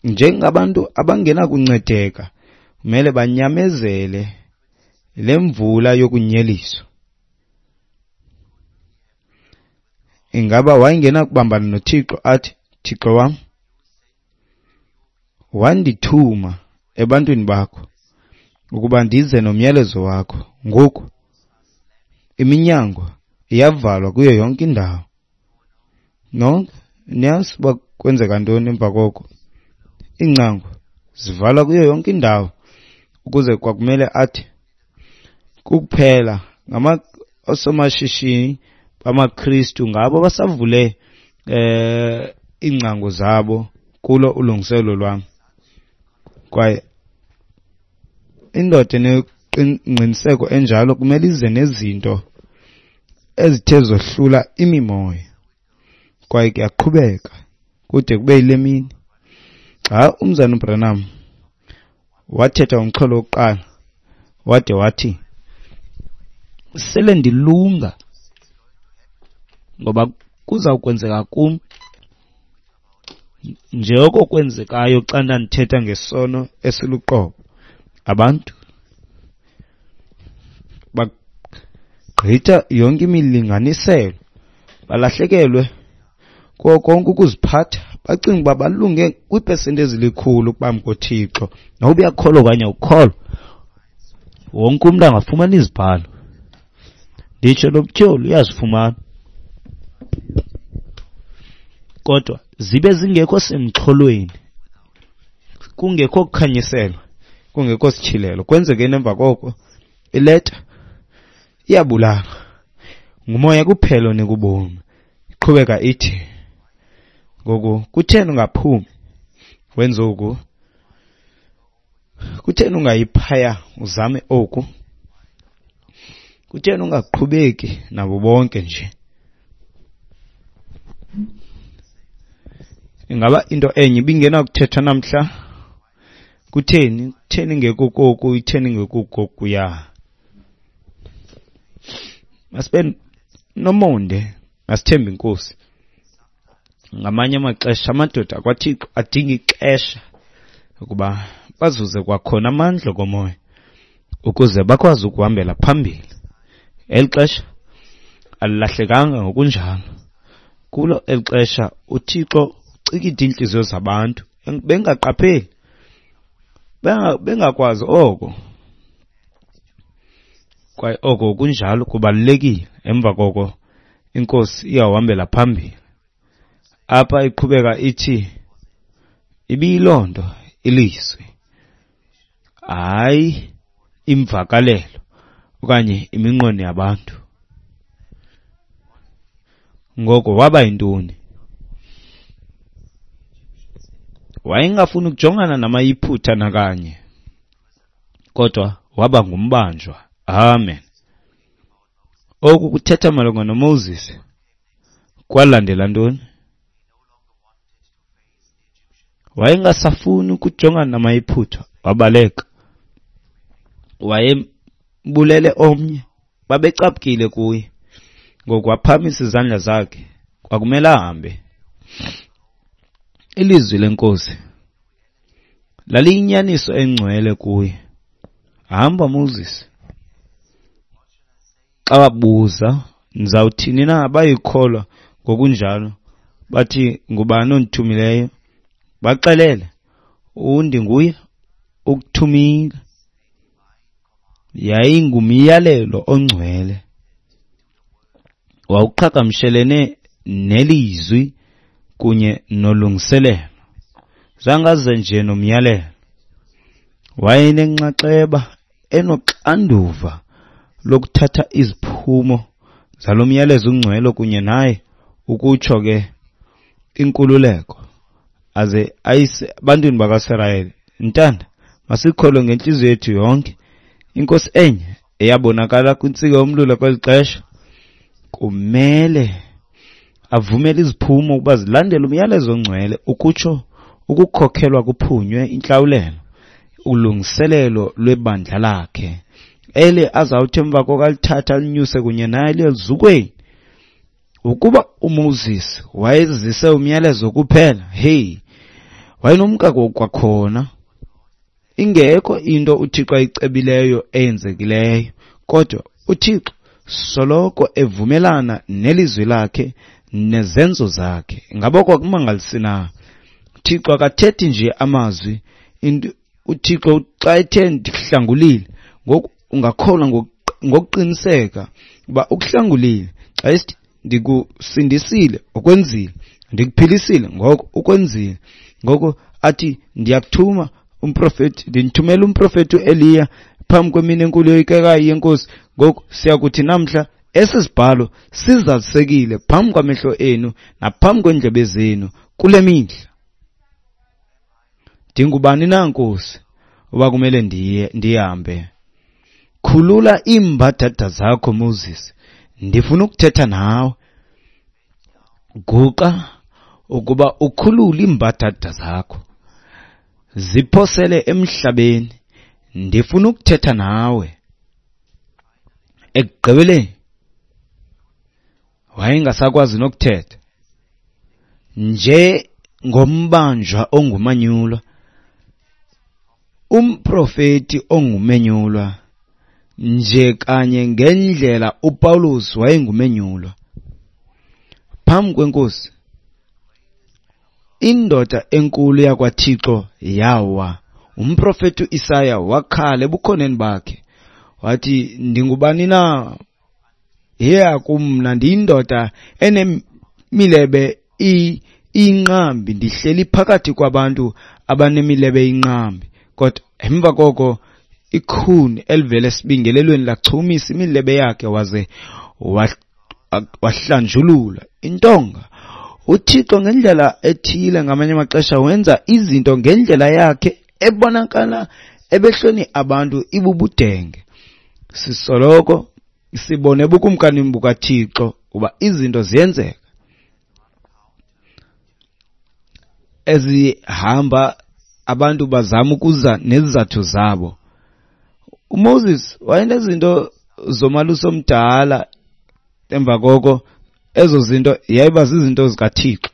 njengabantu abangenakuncedeka, kumele banyamezele le mvula yokunyeliswa. Ingaba wayengenakubambana noThixo athi, Thixo wam, wandithuma ebantwini bakho ukuba ndize nomyalezo wakho. Ngoku iminyango iyavalwa kuyo yonke indawo. Nonke niyazi uba kwenzeka ntoni emva koko. Iingcango zivalwa kuyo yonke indawo, ukuze kwakumele athi kuphela ngama osomashishini bamaKristu ngabo basavule iingcango zabo kulo ulungiselelo lwam. Kwaye indoda enengqiniseko enjalo kumele ize nezinto ezithe zohlula imimoya. Kwaye kuyaqhubeka kude kube yile mini. Xa umzana uBranham wathetha umxholo wokuqala, wade wathi, sele ndilunga ngoba kuza kwenzeka kum njengoko kwenzekayo xa ndandithetha ngesono esiluqobo. Abantu bagqitha yonke imilinganiselo, balahlekelwe kuko konke ukuziphatha, bacinga uba balunge kwiipesenti ezilikhulu phambi koThixo. Noba uyakholwa okanye awukholwa, wonke umntu angafumana izibhalo. Nditsho nomtyholi uyazifumana, kodwa zibe zingekho semxholweni, kungekho kukhanyiselwa, kungekho sityhilelo. Kwenzekeni emva koko? Ileta iyabulala. Ngumoya kuphela onika ubomi. Iqhubeka ithi, ngoku kutheni ungaphumi wenze oku? Kutheni ungayi phaya uzame oku? Kutheni ungaqhubeki nabo bonke nje? Ingaba into enye ibingenakuthethwa namhla? Kutheni? Kutheni ingekho koku? Itheni ingekho kokuya? Masibe nomonde, masithembe iNkosi. Ngamanye amaxesha amadoda akwaThixo adinga ixesha ukuba bazuze kwakhona amandla komoya ukuze bakwazi ukuhambela phambili. Eli xesha alilahlekanga ngokunjalo. Kulo eli xesha uThixo ucikide iintliziyo zabantu bengaqapheli, bengakwazi oko. Kwaye oko kunjalo kubalulekile. Emva koko iNkosi iyawuhambela phambili. Apha iqhubeka ithi ibiyiloo nto ilizwi, hayi imvakalelo okanye iminqweno yabantu. Ngoko waba yintoni? Wayengafuni ukujongana namaYiphutha nakanye, kodwa waba ngumbanjwa. Amen. Oku kuthetha malunga noMoses kwalandela ntoni? Wayengasafuni ukujongana namaYiphutha, wabaleka. Ubulele omnye. Babecaphukile kuye. Ngoku waphakamisa izandla zakhe, kwakumele ahambe. Ilizwi leNkosi laliyinyaniso engcwele kuye. Hamba Moses. Xa wabuza, ndizawuthini na abayikholwa ngokunjalo? Bathi, ngubani ondithumileyo? Baxelele, undinguye ukuthumile. Yayingumyalelo ongcwele. Wawuqhagamshelene nelizwi kunye nolungiselelo. Zangaze nje nomyalelo. Wayenenxaxheba enoxanduva lokuthatha iziphumo zalo myalezo ungcwele kunye naye, ukutsho ke inkululeko, aze ayise ebantwini bakaSirayeli. Ntanda, masikholwe ngentliziyo yethu yonke. Inkosi enye eyabonakala kwintsika yomlilo kweli xesha kumele avumele iziphumo ukuba zilandele umyalezo ongcwele, ukutsho ukukhokhelwa kuphunywe intlawulelo, ulungiselelo lwebandla lakhe ele azawuthi emva kokalithatha alinyuse kunye naye liye eluzukweni. Ukuba uMoses wayezise umyalezo kuphela, hey, wayenomka kwakhona. Ingekho into uThixo ayicebileyo eyenzekileyo, kodwa uThixo soloko evumelana nelizwi lakhe nezenzo zakhe. Ngaba kwakumangalisi na? uThixo akathethi nje amazwi. UThixo xa ethe ndikuhlangulile, ngoku ungakholwa ngokuqiniseka uba ukuhlangulile. Xa esithi ndikusindisile, ukwenzile. Ndikuphilisile, ngoko ukwenzile. Ngoko athi ndiyakuthuma umprofeti, ndinithumela umprofeti uEliya phambi kwemini enkulu yoyikekayo yeNkosi. Ngoku siyakuthi namhla esi sibhalo sizalisekile phambi kwamehlo enu naphambi kweendlebe zenu kule mihla. Ndingubani na, Nkosi, uba kumele ndihambe? Khulula iimbadada zakho, Moses. Ndifuna ukuthetha nawe. Guqa ukuba ukhulule iimbadada zakho, ziphosele emhlabeni. Ndifuna ukuthetha nawe. Ekugqibeleni wayengasakwazi nokuthetha, nje ngombanjwa ongumanyulwa, umprofeti ongumenyulwa, nje kanye ngendlela uPawulos wayengumenyulwa phambi kweNkosi. Indoda enkulu yakwaThixo yawa. Umprofeti uIsaya wakhala ebukhoneni bakhe wathi, ndingubani na? Yeya kumna, ndiyindoda enemilebe inqambi, ndihleli phakathi kwabantu abanemilebe inqambi. Kodwa emva koko ikhuni elivele esibingelelweni lachumisa imilebe yakhe waze wahlanjulula intonga. uThixo ngendlela ethile ngamanye amaxesha wenza izinto ngendlela yakhe ebonakala ebehlweni abantu ibubudenge. Sisoloko sibone bukumkani bukaThixo uba izinto ziyenzeka ezihamba abantu bazama ukuza nezizathu zabo. uMoses wayenezinto zomalusi omdala, emva koko ezo zinto yayiba zizinto zikaThixo.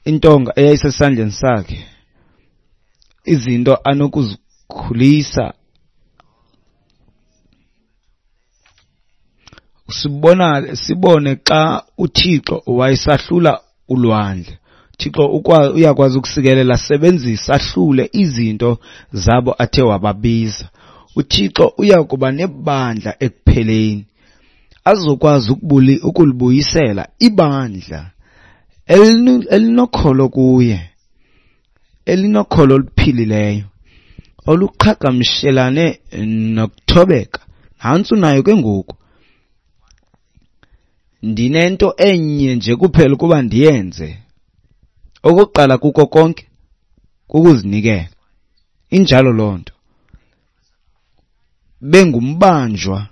Intonga eyayisesandleni sakhe, izinto anokuzikhulisa. Sibone xa uThixo wayesahlula ulwandle. Thixo uyakwazi ukusikelela, sebenzisa ahlule izinto zabo athe wababiza. uThixo uyakuba nebandla ekupheleni, azokwazi ukulibuyisela ibandla elinokholo kuye, elinokholo oluphilileyo, oluqhagamshelane nokuthobeka. Nantsi unayo ke ngoku. Ndinento enye nje kuphela ukuba ndiyenze. Okokuqala kuko konke kukuzinikela. Injalo loo nto. Bengumbanjwa,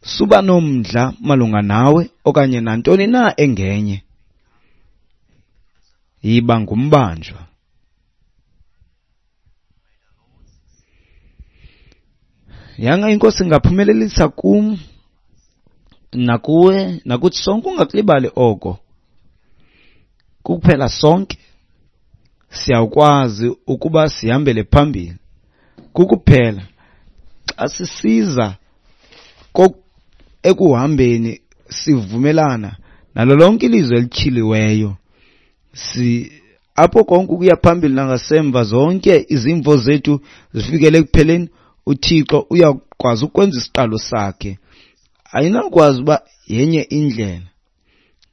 suba nomdla malunga nawe okanye nantoni na engenye. Yiba ngumbanjwa. Yanga inkosi ingaphumelelisa kum nakuwe nakuthi sonke, ungakulibali oko. Kuphela sonke siyakwazi ukuba sihambele phambili. Kukuphela xa sisiza ekuhambeni sivumelana nalo lonke ilizwi elityhiliweyo, si apho konke ukuya phambili nangasemva, zonke izimvo zethu zifikele ekupheleni, uThixo uyakwazi ukwenza isiqalo sakhe. Ayinakwazi uba yenye indlela.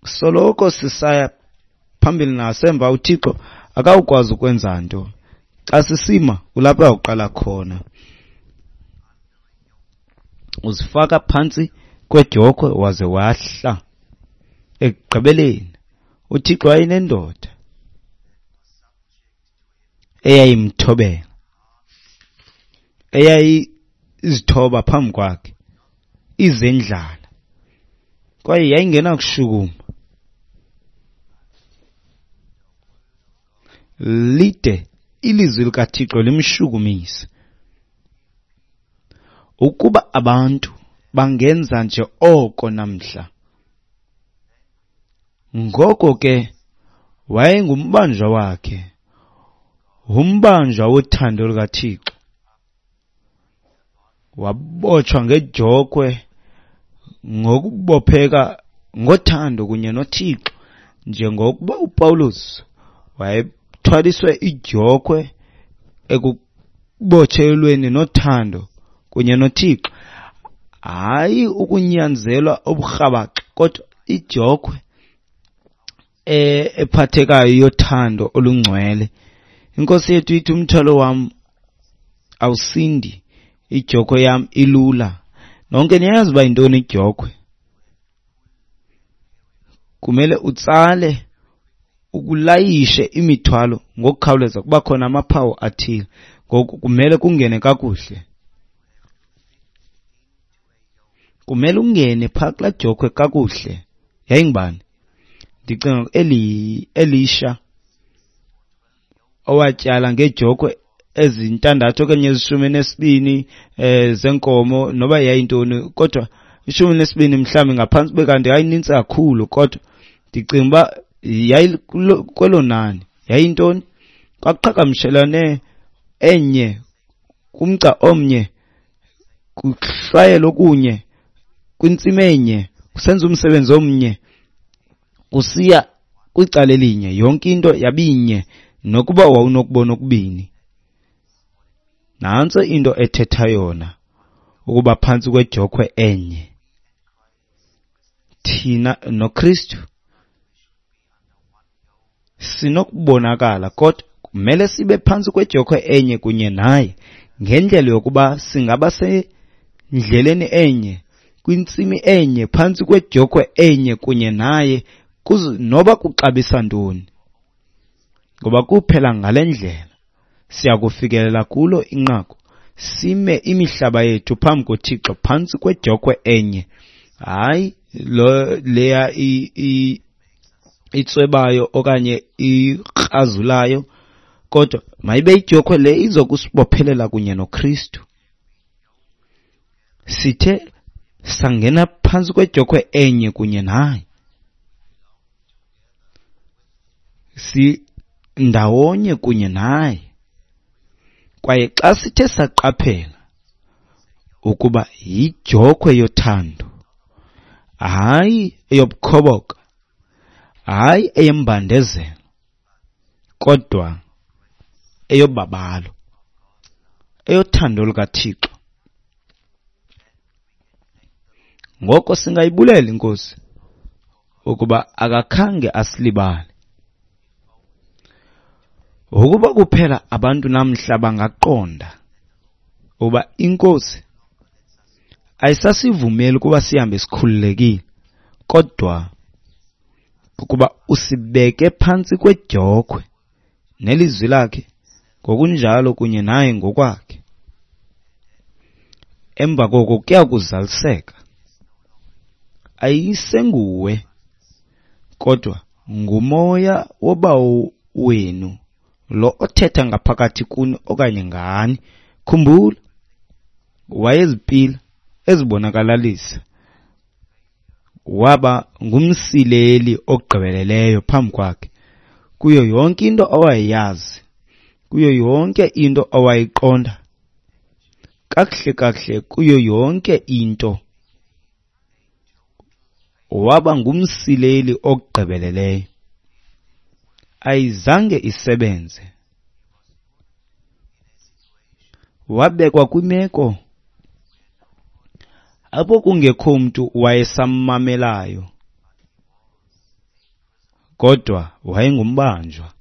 Soloko sisaya phambili nasemva, uThixo akawukwazi ukwenza nto. Xa sisima kulapho uyawuqala khona. Uzifaka phantsi kwedyokhwe waze wahla. Ekugqibeleni uThixo wayenendoda eyayimthobela, eyayizithoba phambi kwakhe, izendlala, kwaye yayingenakushukuma lide ilizwi likaThixo limshukumise. Ukuba abantu bangenza nje oko namhla. Ngoko ke wayengumbanjwa wakhe, umbanjwa wothando lukaThixo. Wabotshwa ngedyokhwe ngokubopheka ngothando kunye noThixo, njengokuba uPawulos wayethwaliswe idyokhwe ekubotshelweni nothando kunye noThixo. Hayi ukunyanzelwa oburhabaxa, kodwa idyokhwe ephathekayo yothando olungcwele. Inkosi yethu ithi, umthwalo wam awusindi, idyokhwe yam ilula. Nonke niyayazi uba yintoni idyokhwe. Kumele utsale ukulayishe imithwalo ngokukhawuleza, kuba khona amaphawu athile. Ngoku kumele kungene kakuhle. Kumele ungene phaa kulaa dyokhwe kakuhle. Yayingubani? Ndicinga Elisha owatyala ngeedyokhwe ezintandathu okanye ezishumi nesibini zenkomo, noba yayintoni, kodwa ishumi nesibini mhlawumbi ngaphantsi kube kanti yayinintsi kakhulu, kodwa ndicinga uba yayi kwelo nani. Yayintoni? Kwakuqhagamshelane enye kumgca omnye, kuhlwayelwa okunye kwintsimi enye, kusenza umsebenzi omnye, kusiya kwicala elinye, yonke into yabinye, nokuba wawunokubona okubini. Nantso into ethetha yona ukuba phantsi kwedyokhwe enye. Thina noKristu sinokubonakala, kodwa kumele sibe phantsi kwedyokhwe enye kunye naye, ngendlela yokuba singaba sendleleni enye, kwintsimi enye, phantsi kwedyokhwe enye kunye naye, noba kuxabisa ntoni. Ngoba kuphela ngale ndlela siyakufikelela kulo inqaku, sime imihlaba yethu phambi koThixo phantsi kwedyokhwe enye. Hayi lo leya itswebayo okanye ikrazulayo, kodwa mayibe idyokhwe le izokusibophelela kunye noKristu. Sithe sangena phantsi kwedyokhwe enye kunye naye, si ndawonye kunye naye. Kwaye xa sithe saqaphela ukuba yidyokhwe yothando, hayi eyobukhoboka, hayi eyembandezelo, kodwa eyobabalo, eyothando lukaThixo, ngoko singayibulela iNkosi ukuba akakhange asilibale. Ukuba kuphela abantu namhla bangaqonda ukuba iNkosi ayisasivumeli ukuba sihambe sikhululekile, kodwa ukuba usibeke phantsi kwedyokhwe nelizwi lakhe ngokunjalo kunye naye ngokwakhe. Emva koko kuya kuzaliseka. Ayisenguwe, kodwa ngumoya wobawo wenu lo othetha ngaphakathi kuni okanye ngani. Khumbula, Wayezipila ezibonakalalisa. Waba ngumsileli ogqibeleleyo phambi kwakhe kuyo yonke into awayeyazi, kuyo yonke into awayiqonda, kakuhle kakuhle kuyo yonke into. Waba ngumsileli ogqibeleleyo. Ayizange isebenze. Wabekwa kwimeko apho kungekho mntu wayesammamelayo, kodwa wayengumbanjwa.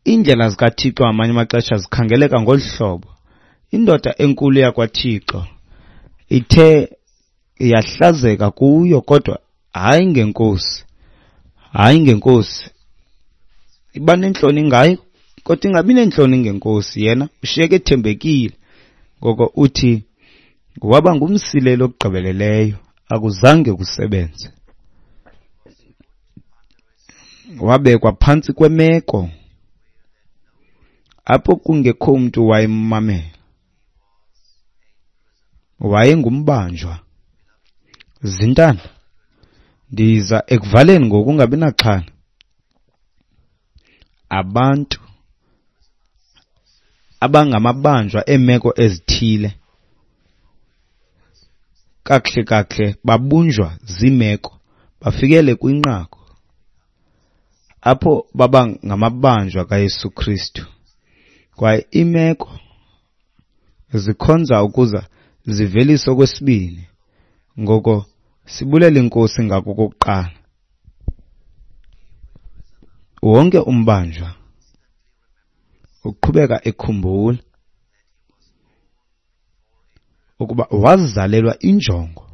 Iindlela zikaThixo ngamanye amaxesha zikhangeleka ngolu hlobo. Indoda enkulu yakwaThixo ithe yahlazeka kuyo, kodwa hayi ngenkosi, hayi ngenkosi. Iba nentloni ngayo, kodwa ingabi nentloni ngenkosi. Yena ushiyeke ethembekile. Ngoko uthi waba ngumsileli ogqibeleleyo, akuzange kusebenze. Wabekwa phantsi kwemeko apho kungekho mntu wayemmamela. Wayengumbanjwa. Zintana, ndiza ekuvaleni ngoku, ungabi naxhala. Abantu abangamabanjwa eemeko ezithile kakuhle kakuhle babunjwa ziimeko, bafikele kwinqaku apho baba ngamabanjwa kaYesu Kristu. Kwaye iimeko zikhonza ukuza zivelise okwesibini. Ngoko sibulela iNkosi ngako okokuqala. Wonke umbanjwa uqhubeka ekhumbula ukuba wazalelwa injongo.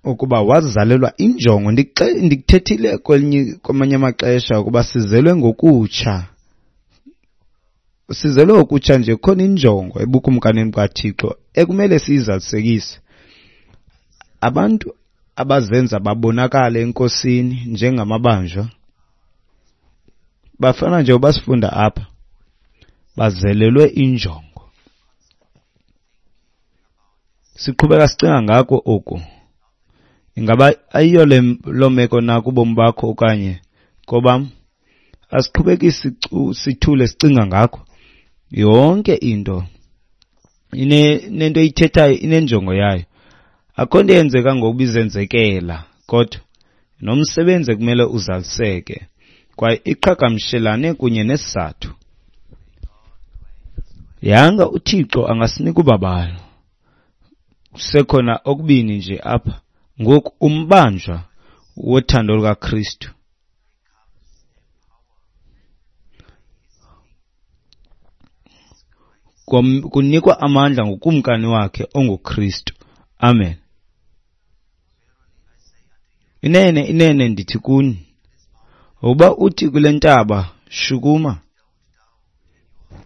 Ukuba wazalelwa injongo. Ndikuthethile kwamanye amaxesha ukuba sizelwe ngokutsha. Sizelwe ngokutsha nje kukhona injongo ebukumkanini bukaThixo ekumele siyizalisekise. Abantu abazenza babonakale enkosini njengamabanjwa bafana nje ubasifunda apha, bazelelwe injongo. Siqhubeka sicinga ngako oku. Ingaba ayiyo loo meko na kubomi bakho okanye kobam? Asiqhubeki sithule sicinga ngakho. Yonke into inento eyithethayo, inenjongo yayo. Akho nto eyenzeka ngokuba izenzekela, kodwa nomsebenzi ekumele uzaliseke kwaye iqhagamshelane kunye nesizathu. Yanga uThixo angasinika ubabalo. Kusekhona okubini nje apha. Ngoku umbanjwa wothando lukaKristu kunikwa amandla ngukumkani wakhe onguKristu. Amen. Inene, inene ndithi kuni, uba uthi kule ntaba shukuma,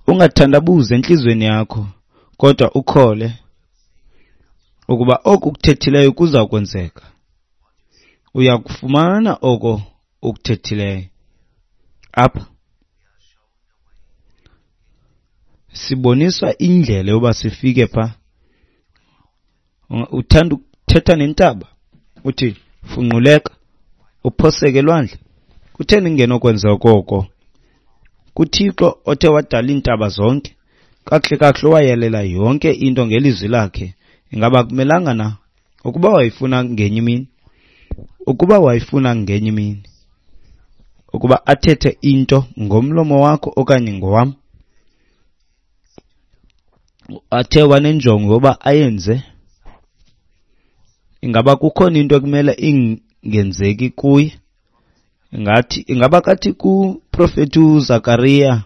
ungathandabuzi entliziyweni yakho, kodwa ukhole ukuba oku ukuthethileyo kuza kwenzeka, uyakufumana oko ukuthethileyo. Apha siboniswa indlela yoba sifike pha. Uthanda ukuthetha nentaba, uthi funquleka, uphoseke elwandle. Kutheni kungenokwenza koko? KuThixo othe wadala iintaba zonke, kakuhle kakuhle owayalela yonke into ngelizwi lakhe, ingaba akumelanga na ukuba wayefuna ngenye imini? Ukuba wayefuna ngenye imini ukuba athethe into ngomlomo wakho okanye ngowam, athe wanenjongo yoba ayenze, ingaba kukhona into ekumele ingenzeki kuye? Ngathi ingaba kathi kuprofeti uZakaria,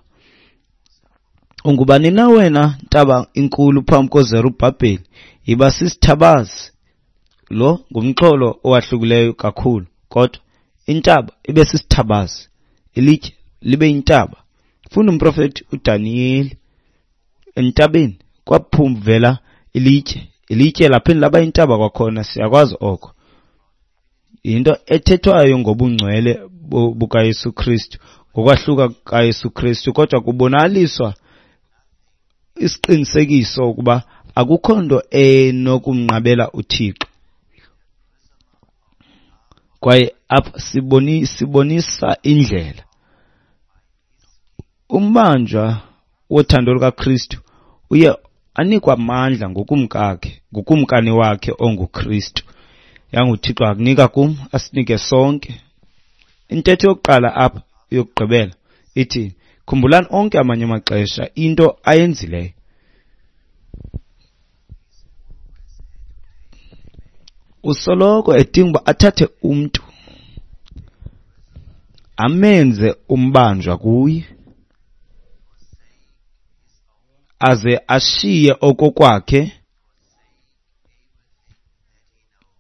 ungubani na wena ntaba inkulu phambi koZerubhabheli? Yiba sisithabazi. Lo ngumxholo owahlukileyo kakhulu, kodwa intaba ibe sisithabazi, ilitye libe yintaba. Funda umprofeti uDaniyeli, entabeni kwaphumvela ilitye, ilitye laphinde laba yintaba kwakhona. Siyakwazi oko. Yinto ethethwayo ngobungcwele bukaYesu Kristu, ngokwahluka kukaYesu Kristu, kodwa kubonakaliswa isiqinisekiso ukuba akukho nto enokumnqabela uThixo. Kwaye apha sibonisa indlela. Umbanjwa wothando lukaKristu uye anikwa amandla ngokumkakhe, ngukumkani wakhe onguKristu. YanguThixo akunika kum, asinike sonke. Intetho yokuqala apha yokugqibela ithi, khumbulani onke amanye amaxesha into ayenzileyo. Usoloko edinga uba athathe umntu amenze umbanjwa kuye, aze ashiye okokwakhe.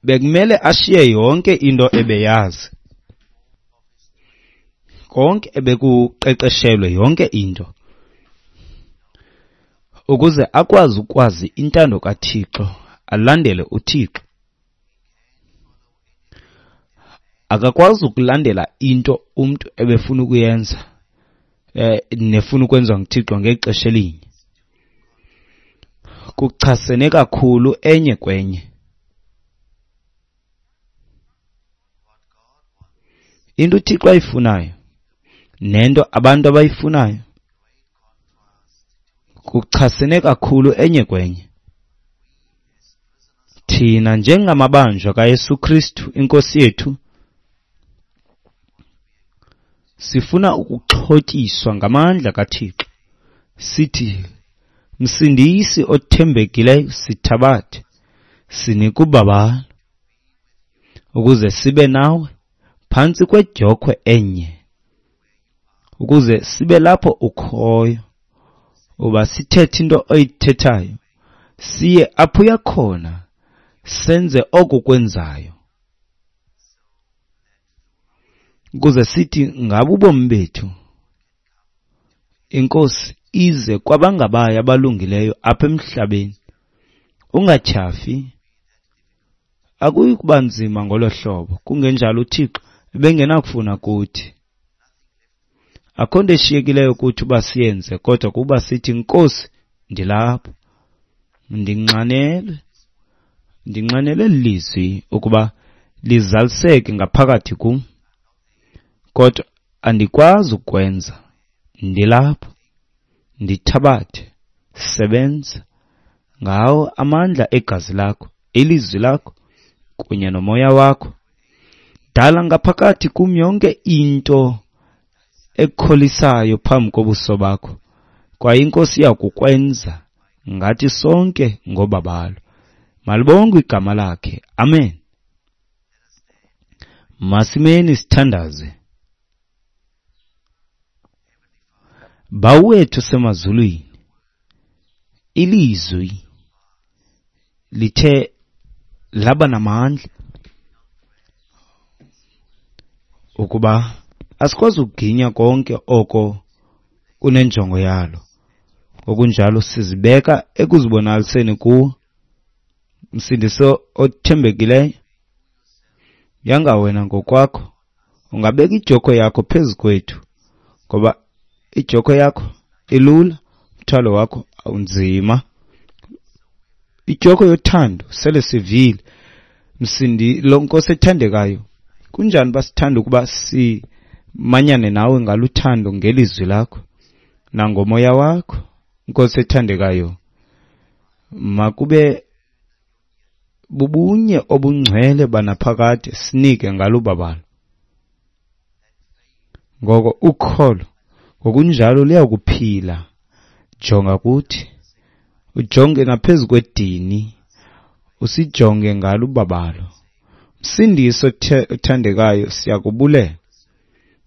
Bekumele ashiye yonke into ebeyazi, konke ebekuqeqeshelwe, yonke into, ukuze akwazi ukwazi intando kaThixo, alandele uThixo. Akakwazi ukulandela into umntu ebefuna ukuyenza, nefuna ukwenziwa nguThixo ngexesha elinye. Kuchasene kakhulu enye kwenye. Into uThixo ayifunayo nento abantu abayifunayo kuchasene kakhulu enye kwenye. Thina njengamabanjwa kaYesu Kristu iNkosi yethu sifuna ukuxhotyiswa ngamandla kaThixo. Sithi, Msindisi othembekileyo, sithabathe, sinike ubabalo ukuze sibe nawe phantsi kwedyokhwe enye, ukuze sibe lapho ukhoyo, uba sithethe into oyithethayo, siye apho uya khona, senze oko kwenzayo, ukuze sithi ngabo ubomi bethu iNkosi ize kwabangabayo abalungileyo apha emhlabeni. Ungatyhafi, akuyi kuba nzima ngolo hlobo, kungenjalo uThixo ebengenakufuna kuthi. Akho nto eshiyekileyo kuthi uba siyenze, kodwa kuba sithi, Nkosi, ndilapha, ndinxanelwe lizwi ukuba lizaliseke ngaphakathi kum, kodwa andikwazi ukwenza. Ndilapha, ndithabathe, sebenza ngawo amandla egazi lakho, ilizwi lakho kunye nomoya wakho. Dala ngaphakathi kum yonke into ekukholisayo phambi kobuso bakho, kwaye iNkosi iyakukwenza ngathi sonke ngobabalo. Malibongwe igama lakhe. Amen. Masimeni sithandaze. Bawo wethu semazulwini, ilizwi lithe laba namandla ukuba asikwazi ukuginya konke oko kunenjongo yalo. Ngokunjalo sizibeka ekuzibonakaliseni kuwo. Msindiso othembekileyo, yanga wena ngokwakho ungabeka idyokhwe yakho phezu kwethu, ngoba idyokhwe yakho ilula, umthwalo wakho awunzima. Idyokhwe yothando sele sivile. Msindi lo Nkosi ethandekayo, kunjani basithanda ukuba simanyane nawe ngaluthando ngelizwi lakho nangomoya wakho. Nkosi ethandekayo, makube bubunye obungcwele banaphakade, sinike ngalubabalo. Ngoko ukholo ngokunjalo liyakuphila. Jonga kuthi, ujonge naphezu kwedini, usijonge ngalubabalo. Msindisi othandekayo, siyakubulela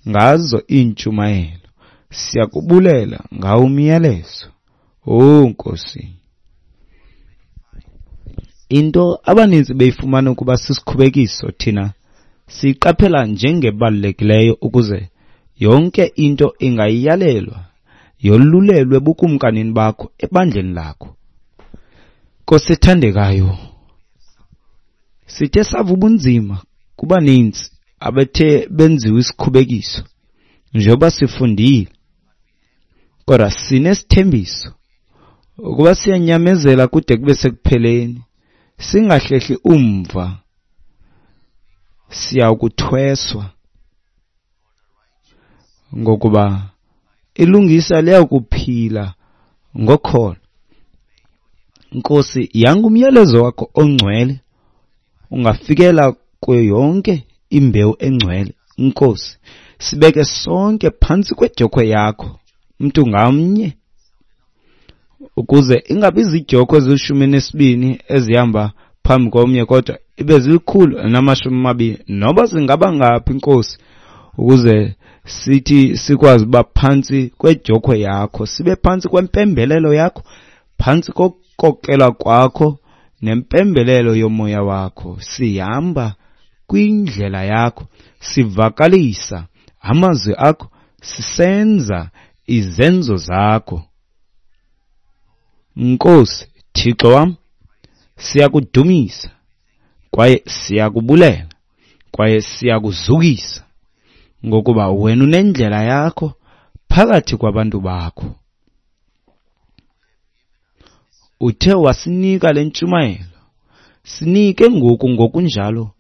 ngazo iintshumayelo, siyakubulela ngawo umyalezo. Oh Nkosi, into abaninzi beyifumana ukuba sisikhubekiso, thina siyiqaphela njengebalulekileyo ukuze yonke into ingayalelwa yolulelwe bukumkanini bakho ebandleni lakho. Nkosi ethandekayo, sithe sava ubunzima Kubaninzi abethe benziwe isikhubekiso njengoba sifundile, kodwa sinesithembiso ukuba siyanyamezela kude kube sekupheleni, singahlehli umva, siyawukuthweswa, ngokuba ilungisa liyakuphila ngokholo. Nkosi, yanga umyalezo wakho ongcwele ungafikela kuyo yonke imbewu engcwele. Nkosi, sibeke sonke phantsi kwedyokhwe yakho, mntu ngamnye, ukuze ingabi ziidyokhwe ezili-12 ezihamba phambi komnye, kodwa ibe zili-120, noba zingaba ngaphi, Nkosi, ukuze sithi sikwazi uba phantsi kwedyokhwe yakho, sibe phantsi kwempembelelo yakho, phantsi kokukokela kwakho nempembelelo yomoya wakho. Sihamba kwindlela yakho, sivakalisa amazwi akho, sisenza izenzo zakho. Nkosi Thixo wam, siyakudumisa kwaye siyakubulela kwaye siyakuzukisa, ngokuba wena unendlela yakho phakathi kwabantu bakho. Uthe wasinika le ntshumayelo, sinike ngoku ngokunjalo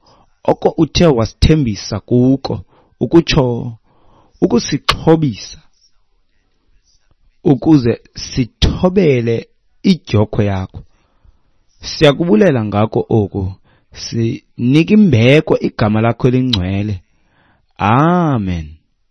oko uthe wasithembisa kuko, ukutsho ukusixhobisa ukuze sithobele idyokhwe yakho. Siyakubulela ngako oku, sinika imbeko igama lakho elingcwele. Amen.